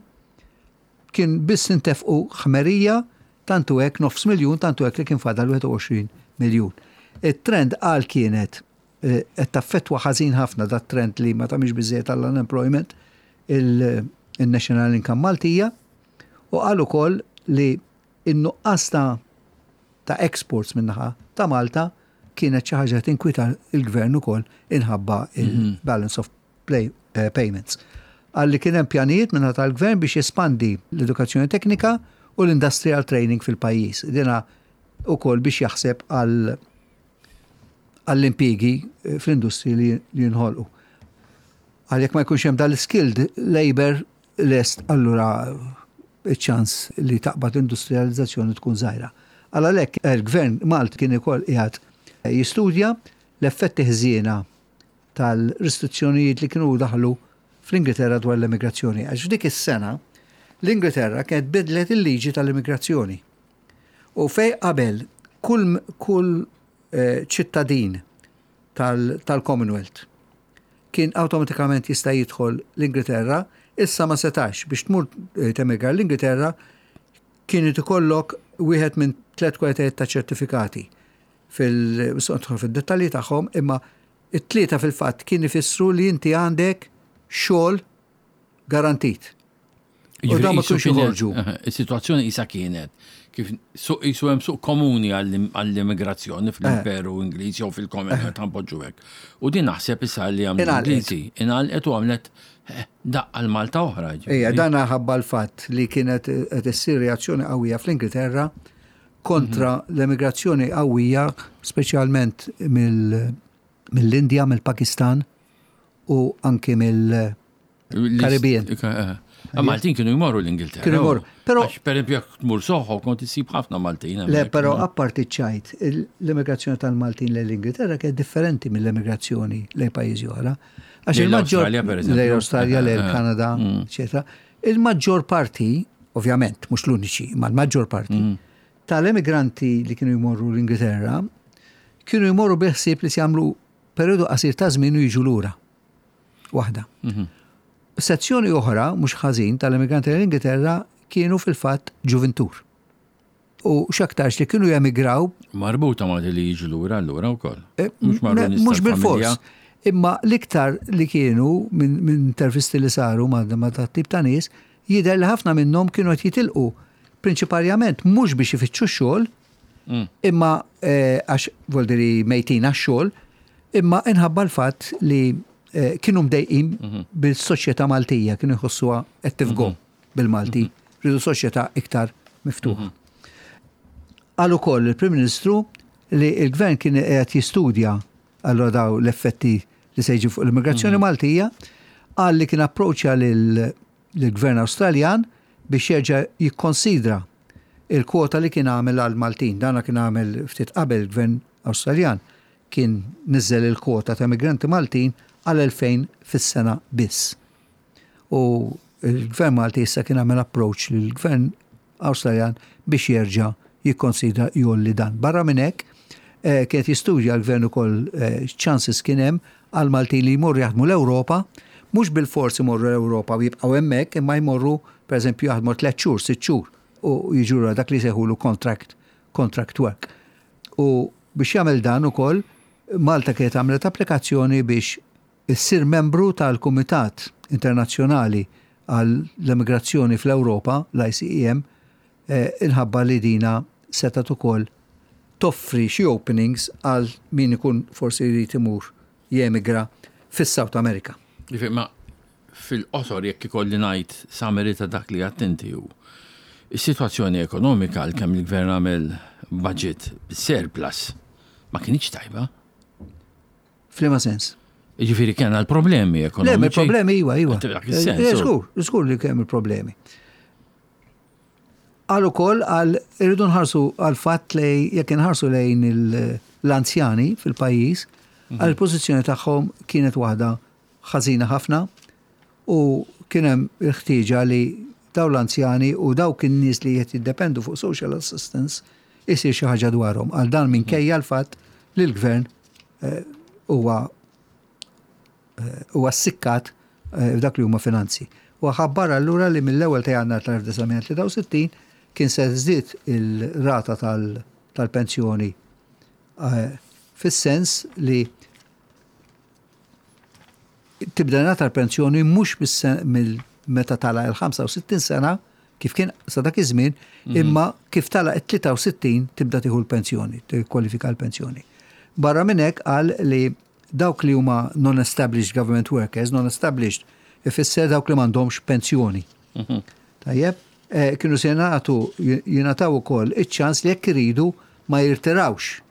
kien biss intefqu ħmerija, tantu hekk nofs miljun, tantu hekk li kien fadal wieħed u għoxrin miljun. Il-trend għal kienet eh, qed taffettwa ħażin ħafna dat trend li ma tagħmilx biżejjed għall-unemployment il-National Income Maltija u qal ukoll li in-nuqqas ta' ta' exports minnaħa ta' Malta kienet xi ħaġa tinkwita il-gvern ukoll inħabba il-balance of play, uh, payments. Qal li kien hemm pjanijiet minnaħa tal-gvern biex jespandi l-edukazzjoni teknika u l-industrial training fil-pajjiż. Dina ukoll biex jaħseb għal għall-impjiegi eh, fl-industri li li jinħolqu. Għal jekk ma jkunx hemm dal-skilled labor lest, allura iċ-ċans li taqbad l-industrializzazzjoni tkun żgħira. Għal għalhekk il-gvern Malt kien ukoll qiegħed jistudja l-effetti ħżiena tal-restrizzjonijiet li kienu daħlu fl-Ingilterra dwar l-immigrazzjoni. Għax f'dik is-sena l-Ingilterra kienet bidlet il-liġi tal-immigrazzjoni. U fej qabel kull, kull eh, ċittadin tal-Commonwealth kien awtomatikament jista' jidħol l-Ingilterra, issa ma setax. Biex tmur eh, temigra l-Ingilterra kien ikollok wieħed minn tliet kwalitajiet ta' ċertifikati fil fil-dettalji tagħhom, imma it-tlieta fil-fatt kien ifissru li inti għandek xogħol garantit. U dan ma kienx joħorġu. Is-sitwazzjoni isa kienet kif suq jisu hemm suq komuni għall-immigrazzjoni fl-Imperu Ingliż jew fil-Commonwealth, ħa npoġġu hekk. U din naħseb issa li għamlu Ingliżi inqalgħet u għamlet eh, daqqa l-Malta oħra. Ejja, dan ħabba l-fatt li kienet qed issir reazzjoni qawwija fl-Ingilterra kontra mhm. l-emigrazzjoni qawwija, speċjalment mill-Indja, mill-Pakistan u anki mill-Karibien. Eh, Maltin kienu jmorru l-Ingilterra. Kienu jmorru. Pero, per esempio, jekk tmur Soho, kont issib ħafna Maltin. Le, pero apparti ċajt, l-immigrazzjoni tal-Maltin l-Ingilterra kienet differenti mill-immigrazzjoni lejn pajjiżi oħra. Għax il-maġġor. Lejn Australia, lejn eh, Kanada, mm. eċetera. Il-maġġor parti, ovvjament, mhux l-uniċi, ma l-maġġor parti, mm. tal-emigranti li kienu jmorru l-Ingilterra, kienu jmorru biħsib li jagħmlu periodu qasir ta' żmien u jiġu lura. Waħda. Mhm. Sezzjoni oħra, mhux ħażin, tal-emigranti l-Ingilterra kienu fil-fatt ġuvintur. U x'aktarx li kienu jemigraw. Marbuta ma' li jiġu lura allura wkoll. Eh, mhux bil-fors. Imma l-iktar li kienu minn intervisti li saru ma' ta' tip ta' nies, jidher li ħafna minnhom kienu qed jitilqu prinċiparjament mhux biex ifittxu xogħol, mm. imma eh, għax voldiri mejtin għax-xogħol, imma inħabba l-fatt li eh, kienu mdejqin mhm. bil-soċjetà Maltija, kienu jħossuha qed tifgom mhm. bil-Malti, mhm. ridu soċjetà iktar miftuħa. Qal ukoll il-Prim Ministru li il-Gvern kien qed jistudja allura daw l-effetti li se jiġu fuq l-immigrazzjoni Maltija, qal li kien approċċja lill-Gvern Awstraljan biex jerġa' jikkonsidra il-kwota li kien għamel għal Maltin. Dana kien għamel ftit qabel, il-Gvern Awstraljan kien niżel il-kwota ta' migranti Maltin għal elfejn fis-sena biss. U il-Gvern Malti issa kien għamel approach lill-Gvern Awstraljan biex jerġa' jikkonsidra jgħolli dan. Barra minn hekk, eh, kienet jistudja l-gvern ukoll eh, chances kien hemm għal Maltin li jmorru jaħdmu l-Ewropa, mhux bil-forsi jmorru l-Ewropa u jibqgħu hemmhekk, imma jmorru pereżempju jaħdmu tliet xhur, sitt xhur u jiġu, dak li sejħulu contract, contract work. U biex jagħmel dan ukoll, Malta kienet għamlet applikazzjoni biex issir membru tal-Kumitat Internazzjonali għall-Emigrazzjoni fl-Ewropa, l-I C E M, eh, inħabba li dina setat ukoll toffri xi openings għal min ikun forsi jrid imur jemigra fis-South America. Jiġifieri, ma fil-qosor, jekk ikolli ngħid summary ta' dak li attenti hu. Is-sitwazzjoni ekonomika, għal kemm il-gvern għamel budget surplus, ma kienx tajba. F'liema sens? Jiġifieri kien l-problemi Le, ekonomiċi. Ma problemi iwa, iwa. Dak is-sens, Eh, u. Żgur, żgur li kemm il-problemi. Qal ukoll għal irridu nħarsu għal fatt li jekk inħarsu lejn l-anzjani fil-pajjiż, għal pożizzjoni tagħhom kienet waħda ħażina ħafna u kien hemm il-ħtieġa li daw l-anzjani u dawk in-nies li qed jiddependu fuq social assistance isir xi ħaġa dwarhom. Għal dan minkejja l-fatt li l-gvern eh, huwa eh, huwa ssikkat eh, f'dak li huma finanzi. U ħabbar allura li mill-ewwel ta' Jannar tal-elf disa' mija tlieta u sittin kien se żdied il-rata tal-pensjoni fis-sens li tibda nata l-pensjoni mhux meta tagħlaq il-ħamsa u sittin sena kif kien sa dak iż-żmien, mhm. imma kif tagħlaq it-tlieta u sittin tibda tieħu l-pensjoni, tikkwalifika l-pensjoni. Barra minn hekk qal li dawk li huma non-established government workers, non-established ifisser dawk li m'għandhomx pensjoni. Mhm. Tajjeb, eh, kienu se jingħatu jingħataw ukoll iċ-ċans li jekk iridu ma jirtirawx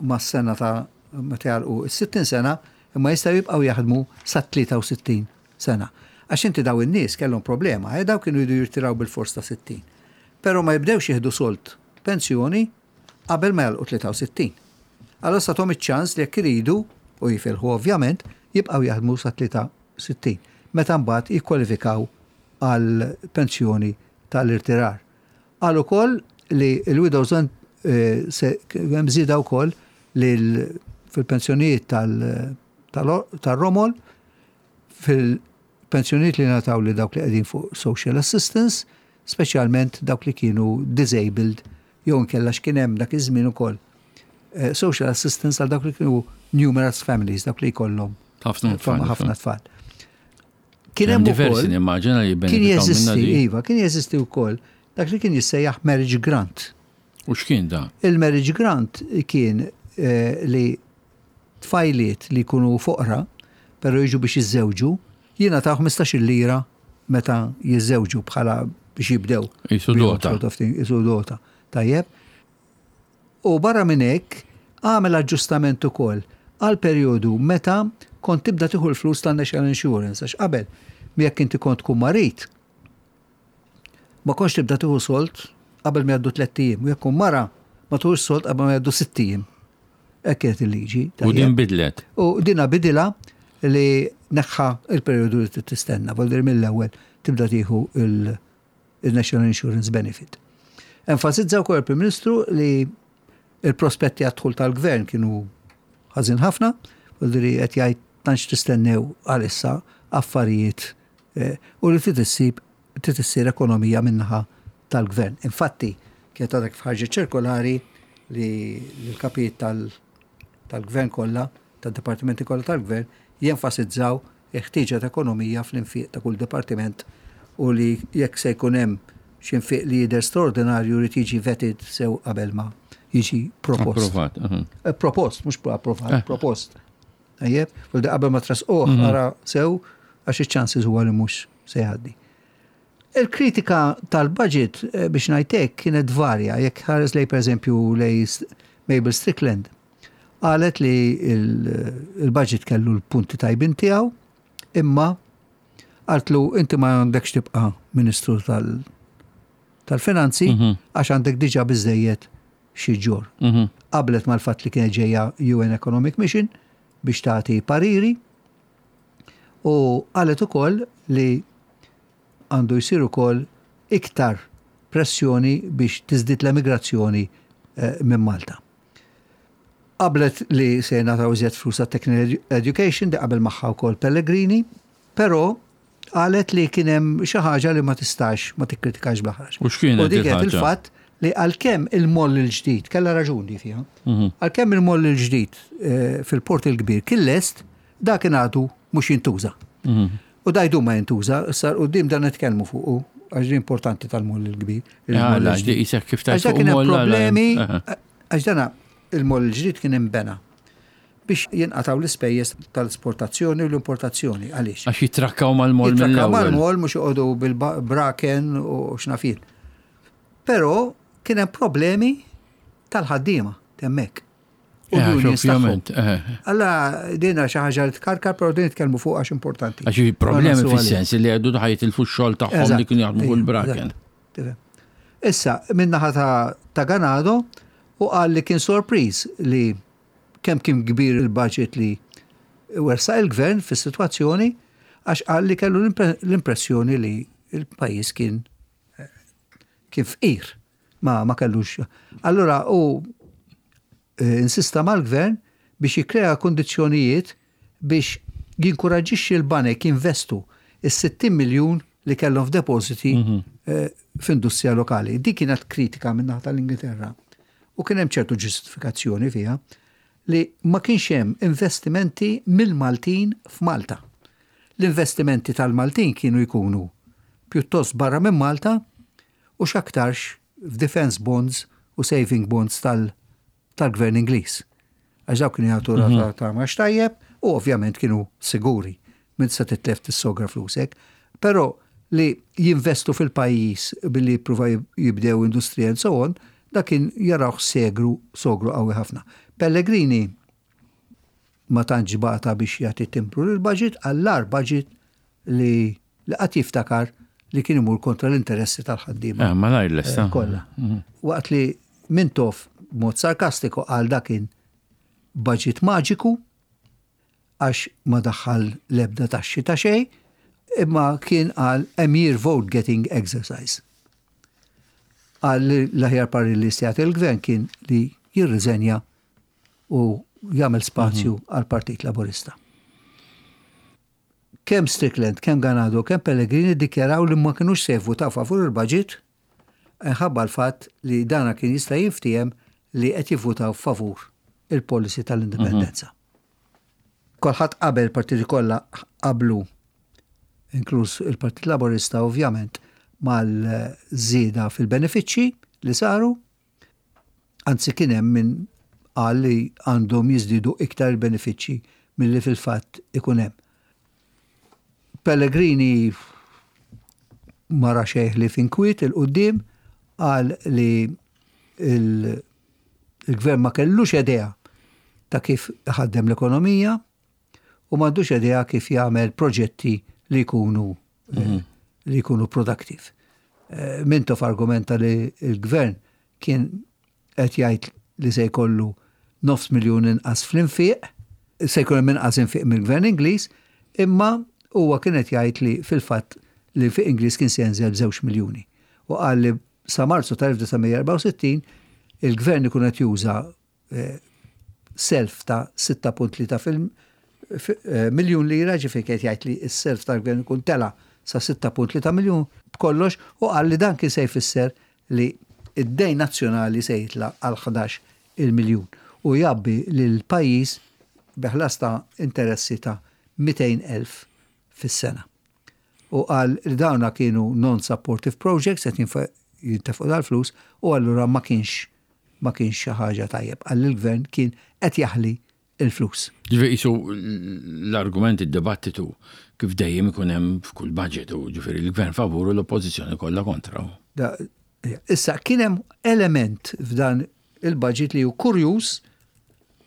mas-sena ta' meta jagħlqu is-sittin sena, imma jistgħu jibqgħu jaħdmu sa tlieta u sittin sena. Għax inti daw in-nies kellhom problema, eh, daw kienu jridu jirtiraw bil-fors ta' sittin. Però ma jibdewx jieħdu sold pensjoni qabel ma jagħlqu tlieta u sittin. Allora tahom iċ-ċans li jekk iridu, u jifilħu ovvjament, jibqgħu jaħdmu sa tlieta u sittin. Meta mbagħad jikkwalifikaw għal pensjoni tal-irtirar. Qal ukoll li l-widows eh, hemm żieda wkoll li fil-pensjonijiet tal-romol, fil-pensjonijiet li ngħataw li dawk li qegħdin fuq social assistance, speċjalment dawk li kienu disabled jew inkella x'kien hemm dak iż-żmien ukoll. Eh, social assistance għal dawk li kienu numerous families, dawk li jkollhom ħafna tfal. Ħafna tfal. Kien hemm diversi nimmaġina li kien jeżisti, iva, kien jeżisti wkoll dak li kien jissejjaħ marriage grant. U x'kien da? Il-marriage grant kien eh, li tfajliet li jkunu foqra, pero jiġu biex jiżżewġu, jingħataw ħmistax-il lira meta jiżżewġu bħala biex jibdew. Qisu dota. Qisu dota. Tajjeb. U barra minn hekk għamel aġġustament ukoll għal perjodu meta kont tibda tieħu l-flus tan-National Insurance, għax qabel jekk inti kont tkun marit ma kontx tibda tieħu sold qabel ma jgħaddu tlett ijiem, u jekk mara ma tieħux sold qabel ma jgħaddu sitt ijiem. Hekk kienet il-liġi. U din bidlet. U dina bidila li neħħa il-perjodu li tistenna, vuol mill-ewwel tibda tieħu il-National Insurance Benefit. Enfasizza wkoll il-Prim Ministru li il-prospetti għad-dħul tal-gvern kienu ħażin ħafna, vuol qed jgħid tantx tistennew għalissa affarijiet eh, u li trid issib trid issir ekonomija min-naħa tal-gvern. Infatti, kienet għadek f'ħarġet ċirkolari li l-kapijiet tal-gvern kollha, tad-dipartimenti kollha tal-gvern, jenfasizzaw il-ħtieġa ta' ekonomija fl-infiq ta' kull dipartiment u li jekk se jkun hemm xi nfiq li jidher straordinarju jrid jiġi vetted sew qabel ma jiġi propost. Approvat. Eh, propost, mhux approvat, eh. propost. Ejjeb, u qabel ma tressquh mhm. ara sew għax iċ-chances huwa li mhux se jgħaddi. Il-kritika tal-budget eh, biex ngħidlek kienet varja, jekk ħares lej per eżempju lej Mabel Strickland, qalet li il-budget kellu l-punti tajbin tiegħu, imma qaltlu inti ma għandekx tibqa' ministru tal-finanzi mhm. għax għandek diġà biżejjed xi ġġorr. Mhm. Qablet mal-fatt li kienet ġejja U N Economic Mission biex tagħti pariri u qalet ukoll li għandu jsir ukoll iktar pressjoni biex tiżdied l-emigrazzjoni eh, minn Malta. Qablet li se jingħataw iżjed flus technical education, di qabel magħha wkoll Pellegrini, però qalet li kien hemm xi ħaġa li ma tistax ma tikkritikax bl-aħrax. U x'kienet? U dik il-fatt li għalkemm il-moll il-ġdid, kellha raġuni fiha, mhm. għalkemm il-moll il-ġdid eh, fil-Port il-Kbir kien lest, dak kien għadu mhux jintuża. Mhm. U dajdu ma jintuża, issa quddiem dan nitkellmu fuqu, għax importanti tal-moll il-kbir. Kif Għax kien hemm problemi, għax dana il-moll il-ġdid kien imbena biex jinqataw l-ispejjeż tal-esportazzjoni u l-importazzjoni. Għaliex? Għax jitrakkaw mal-moll. Jitrakkaw mal-moll, mhux joqogħdu bil-braken u x'naf jien. Però kien hemm problemi tal-ħaddiema hemmhekk. U ovvjament. Alla dina xi ħaġa li tkarkar, però din nitkellmu fuq għax importanti. Għax problemi fis-sens li għadu ħa jitilfu x-xogħol tagħhom li kienu jaħdmu fuq il-braken. Issa, min-naħa ta', ta Ganado, u qal li kien sorpriż li kemm kien kbir il-budget li ressaq il-gvern fis-sitwazzjoni, għax qal li kellu l-impressjoni li il-pajjiż kien kien fqir, ma, ma kellux. Allura u eh, insista mal-gvern biex jikrea kondizjonijiet biex jinkoraġġixxi l-banek jinvestu is-sittin miljun li kellhom f'depositi mm -hmm. eh, f'industrija lokali. Dik kienet kritika minn tal-Ingilterra. U kien hemm ċertu ġustifikazzjoni fiha li ma kienx hemm investimenti mill-Maltin f'Malta. L-investimenti tal-Maltin kienu jkunu pjuttost barra minn Malta u x'aktarx f'defense bonds u saving bonds tal-gvern Ingliż. Għax dawk kienu jagħtu rata ta' mgħax tajjeb u ovvjament kienu siguri minn se titlef tissogra flusek. Però li jinvestu fil-pajjiż billi jippruva jibdew industrija and so on, dak kien jarawh segru sogru qawwi ħafna. Pellegrini ma tantx bata biex jagħti timbru l-budget għall-agħar budget li li qatt jiftakar li kien imur kontra l-interessi tal-ħaddiema. Eh, ma lesta. Kollha. Waqt li Mintoff mod sarkastiku qal dak kien budget maġiku għax ma daħħal lebda taxxi ta' xejn, imma kien qal a mere vote getting exercise. Qal li l-aħjar parir li jagħti il-gvern kien li jirriżenja u jagħmel spazju għal Partit Laburista. Kemm Strickland, kemm Ganado, kemm Pellegrini dikjaraw li ma kinux se jivvutaw favur il-budget ħabba l-fatt li dana kien jista' jinftiehem li qed jivvutaw favur il-policy tal-indipendenza. Kulħadd qabel, partiti kollha qablu, inkluż il-Partit Laburista ovvjament, mal-żieda fil-benefiċċji li saru, anzi kien hemm min qal li għandhom jiżdiedu iktar il-benefiċċji milli fil-fatt ikun hemm. Pellegrini ma ra xejn ħlief inkwiet 'il quddiem, qal li il-gvern ma kellux idea ta' kif ħaddem l-ekonomija u m'għandux idea kif jagħmel proġetti li jkunu mm li jkunu productive. Eh, Mintoff argumenta li il-gvern kien qed jgħid li se jkollu nofs miljun inqas fl-infiq, se jkun hemm inqas infiq mill-gvern Ingliż, imma huwa kien qed jgħid li fil-fatt li l-infiq Ingliż kien se jenżel b'żewġ miljuni. U qal li sa Marzu tal-elf disa' mija erbgħa u sittin il-gvern ikun qed juża eh, self ta' sitta punt tlieta fil- fi- eh, miljun lira, ġifieri qed jgħid li s-self tal-gvern ikun tela sa sitta punt tlieta miljun b'kollox, u qal li dan kien se jfisser li id-dejn nazzjonali se jitla għal ħdax il-miljun u jgħabbi lil pajjiż bi ħlas ta' interessi ta' mitejn elf fis-sena. U qal li dawna kienu non-supportive projects, qed jintefqu dal-flus, u allura ma kienx ma kienx xi ħaġa tajjeb. Qal li l-gvern kien qed jaħli il-flus. Ġifieri qisu l-argument, id-dibattitu kif dejjem ikun hemm f'kull budget, u ġifieri l-gvern favur u l-oppożizzjoni kollha kontra. Da, issa kien hemm element f'dan il-budget li hu kurjuż,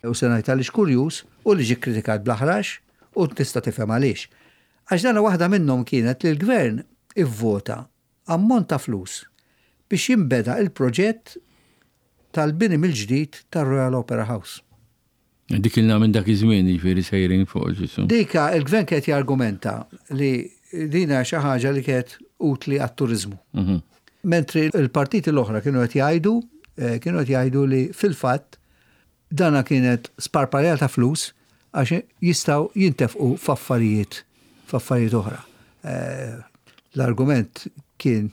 u se ngħid għaliex kurjuż, u li ġie kritikat bl-aħrax, u tista' tifhem għaliex. Għax dana waħda minnhom kienet li l-gvern ivvota ammont ta' flus biex jinbeda il-proġett tal-bini mill-ġdid tar-Royal Opera House. Dik ilna minn dak iż-żmien jiġifieri sejrin fuq ġisu. Dika il-gvern kien jargumenta li dina xi ħaġa li kienet utli għat-turizmu. Mhm. Mentri il-partiti l-oħra kienu qed jgħidu, eh, kienu qed jgħidu li fil-fatt dana kienet sparparja ta' flus għax jistgħu jintefqu f'affarijiet f'affarijiet oħra. Eh, L-argument kien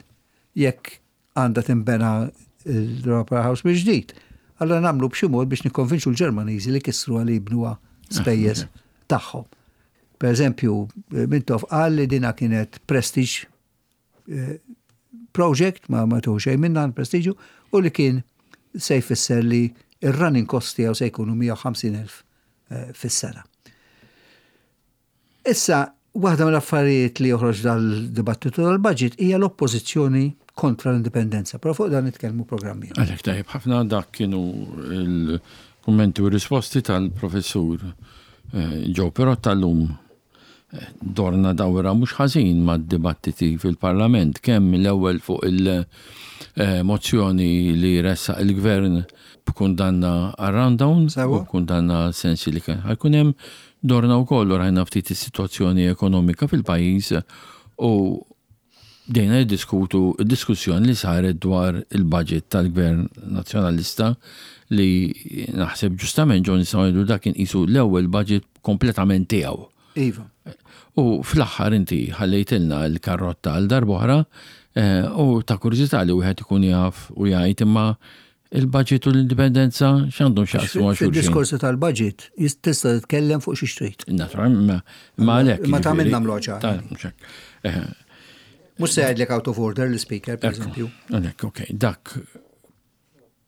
jekk għandha tinbena l-Opera House bil-ġdid. Allora nagħmlu b'xi mod biex nikkonvinċu l-Ġermaniżi li kissru għal jibnuha spejjeż tagħhom. Per eżempju, Mintoff qal li dina kienet prestige eh, project, ma ma tuħu xejn minna prestiġu, u li kien se jfisser li il-running cost tiegħu se jkunu mija u ħamsin elf eh, fis-sena. Issa, waħda mill-affarijiet li joħroġ dal-dibattitu tal-budget hija l-oppożizzjoni kontra l-indipendenza. Però fuq dan nitkellmu programmi. Għalhekk tajjeb ħafna, dak kienu il-kummenti u risposti tal-professur eh, Joe Pirotta tal-lum. Dorna dawra mhux ħażin mad-dibattiti fil-Parlament, kemm l-ewwel fuq il-mozzjoni li ressaq il-Gvern b'kundanna għar-rundown Sewwa. u b'kundanna sensi li kien ħa jkun hemm, dorna wkoll u rajna ftit is-sitwazzjoni ekonomika fil-pajjiż u bdejna niddiskutu diskussjoni li saret dwar il-budget tal-Gvern Nazzjonalista li naħseb ġustament ġo nistgħu ngħidu dak kien qisu l-ewwel budget kompletament tiegħu. Iva. U fl-aħħar inti ħallejtilna l-karrotta għal darb'oħra eh, u ta' kurżità li wieħed ikun jaf u jgħid, imma il-budget u l-indipendenza x'għandhom x'jaqsmu ma' xulxin? Fil-diskorsi tal-budget jis- tista' titkellem fuq xi trid. Naturalment, ma- ma għalhekk. Ma ta' jiġifieri- minna nagħmluha ċara. Ta' mhux hekk. Eh, Mhux se jgħidlek out of order l-speaker, per eżempju. Għalhekk, ok, dak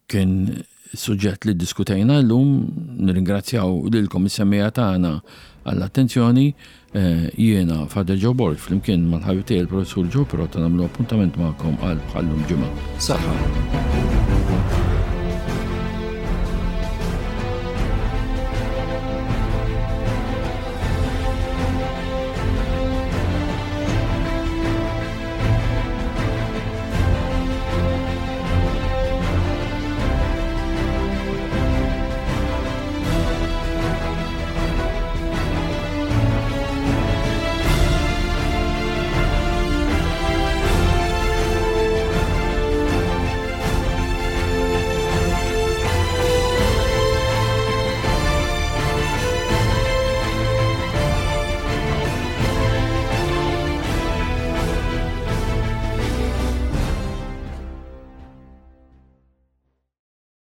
kien suġġett li diskutejna llum. Nirringrazzjaw lilkom is-semmiegħa tagħna għall-attenzjoni. Eh, Jiena Father Joe Borg flimkien mal-ħabib tiegħi il-Professur Joe Pirotta nagħmlu appuntament magħkom għal bħallum ġimgħa. Saħħa.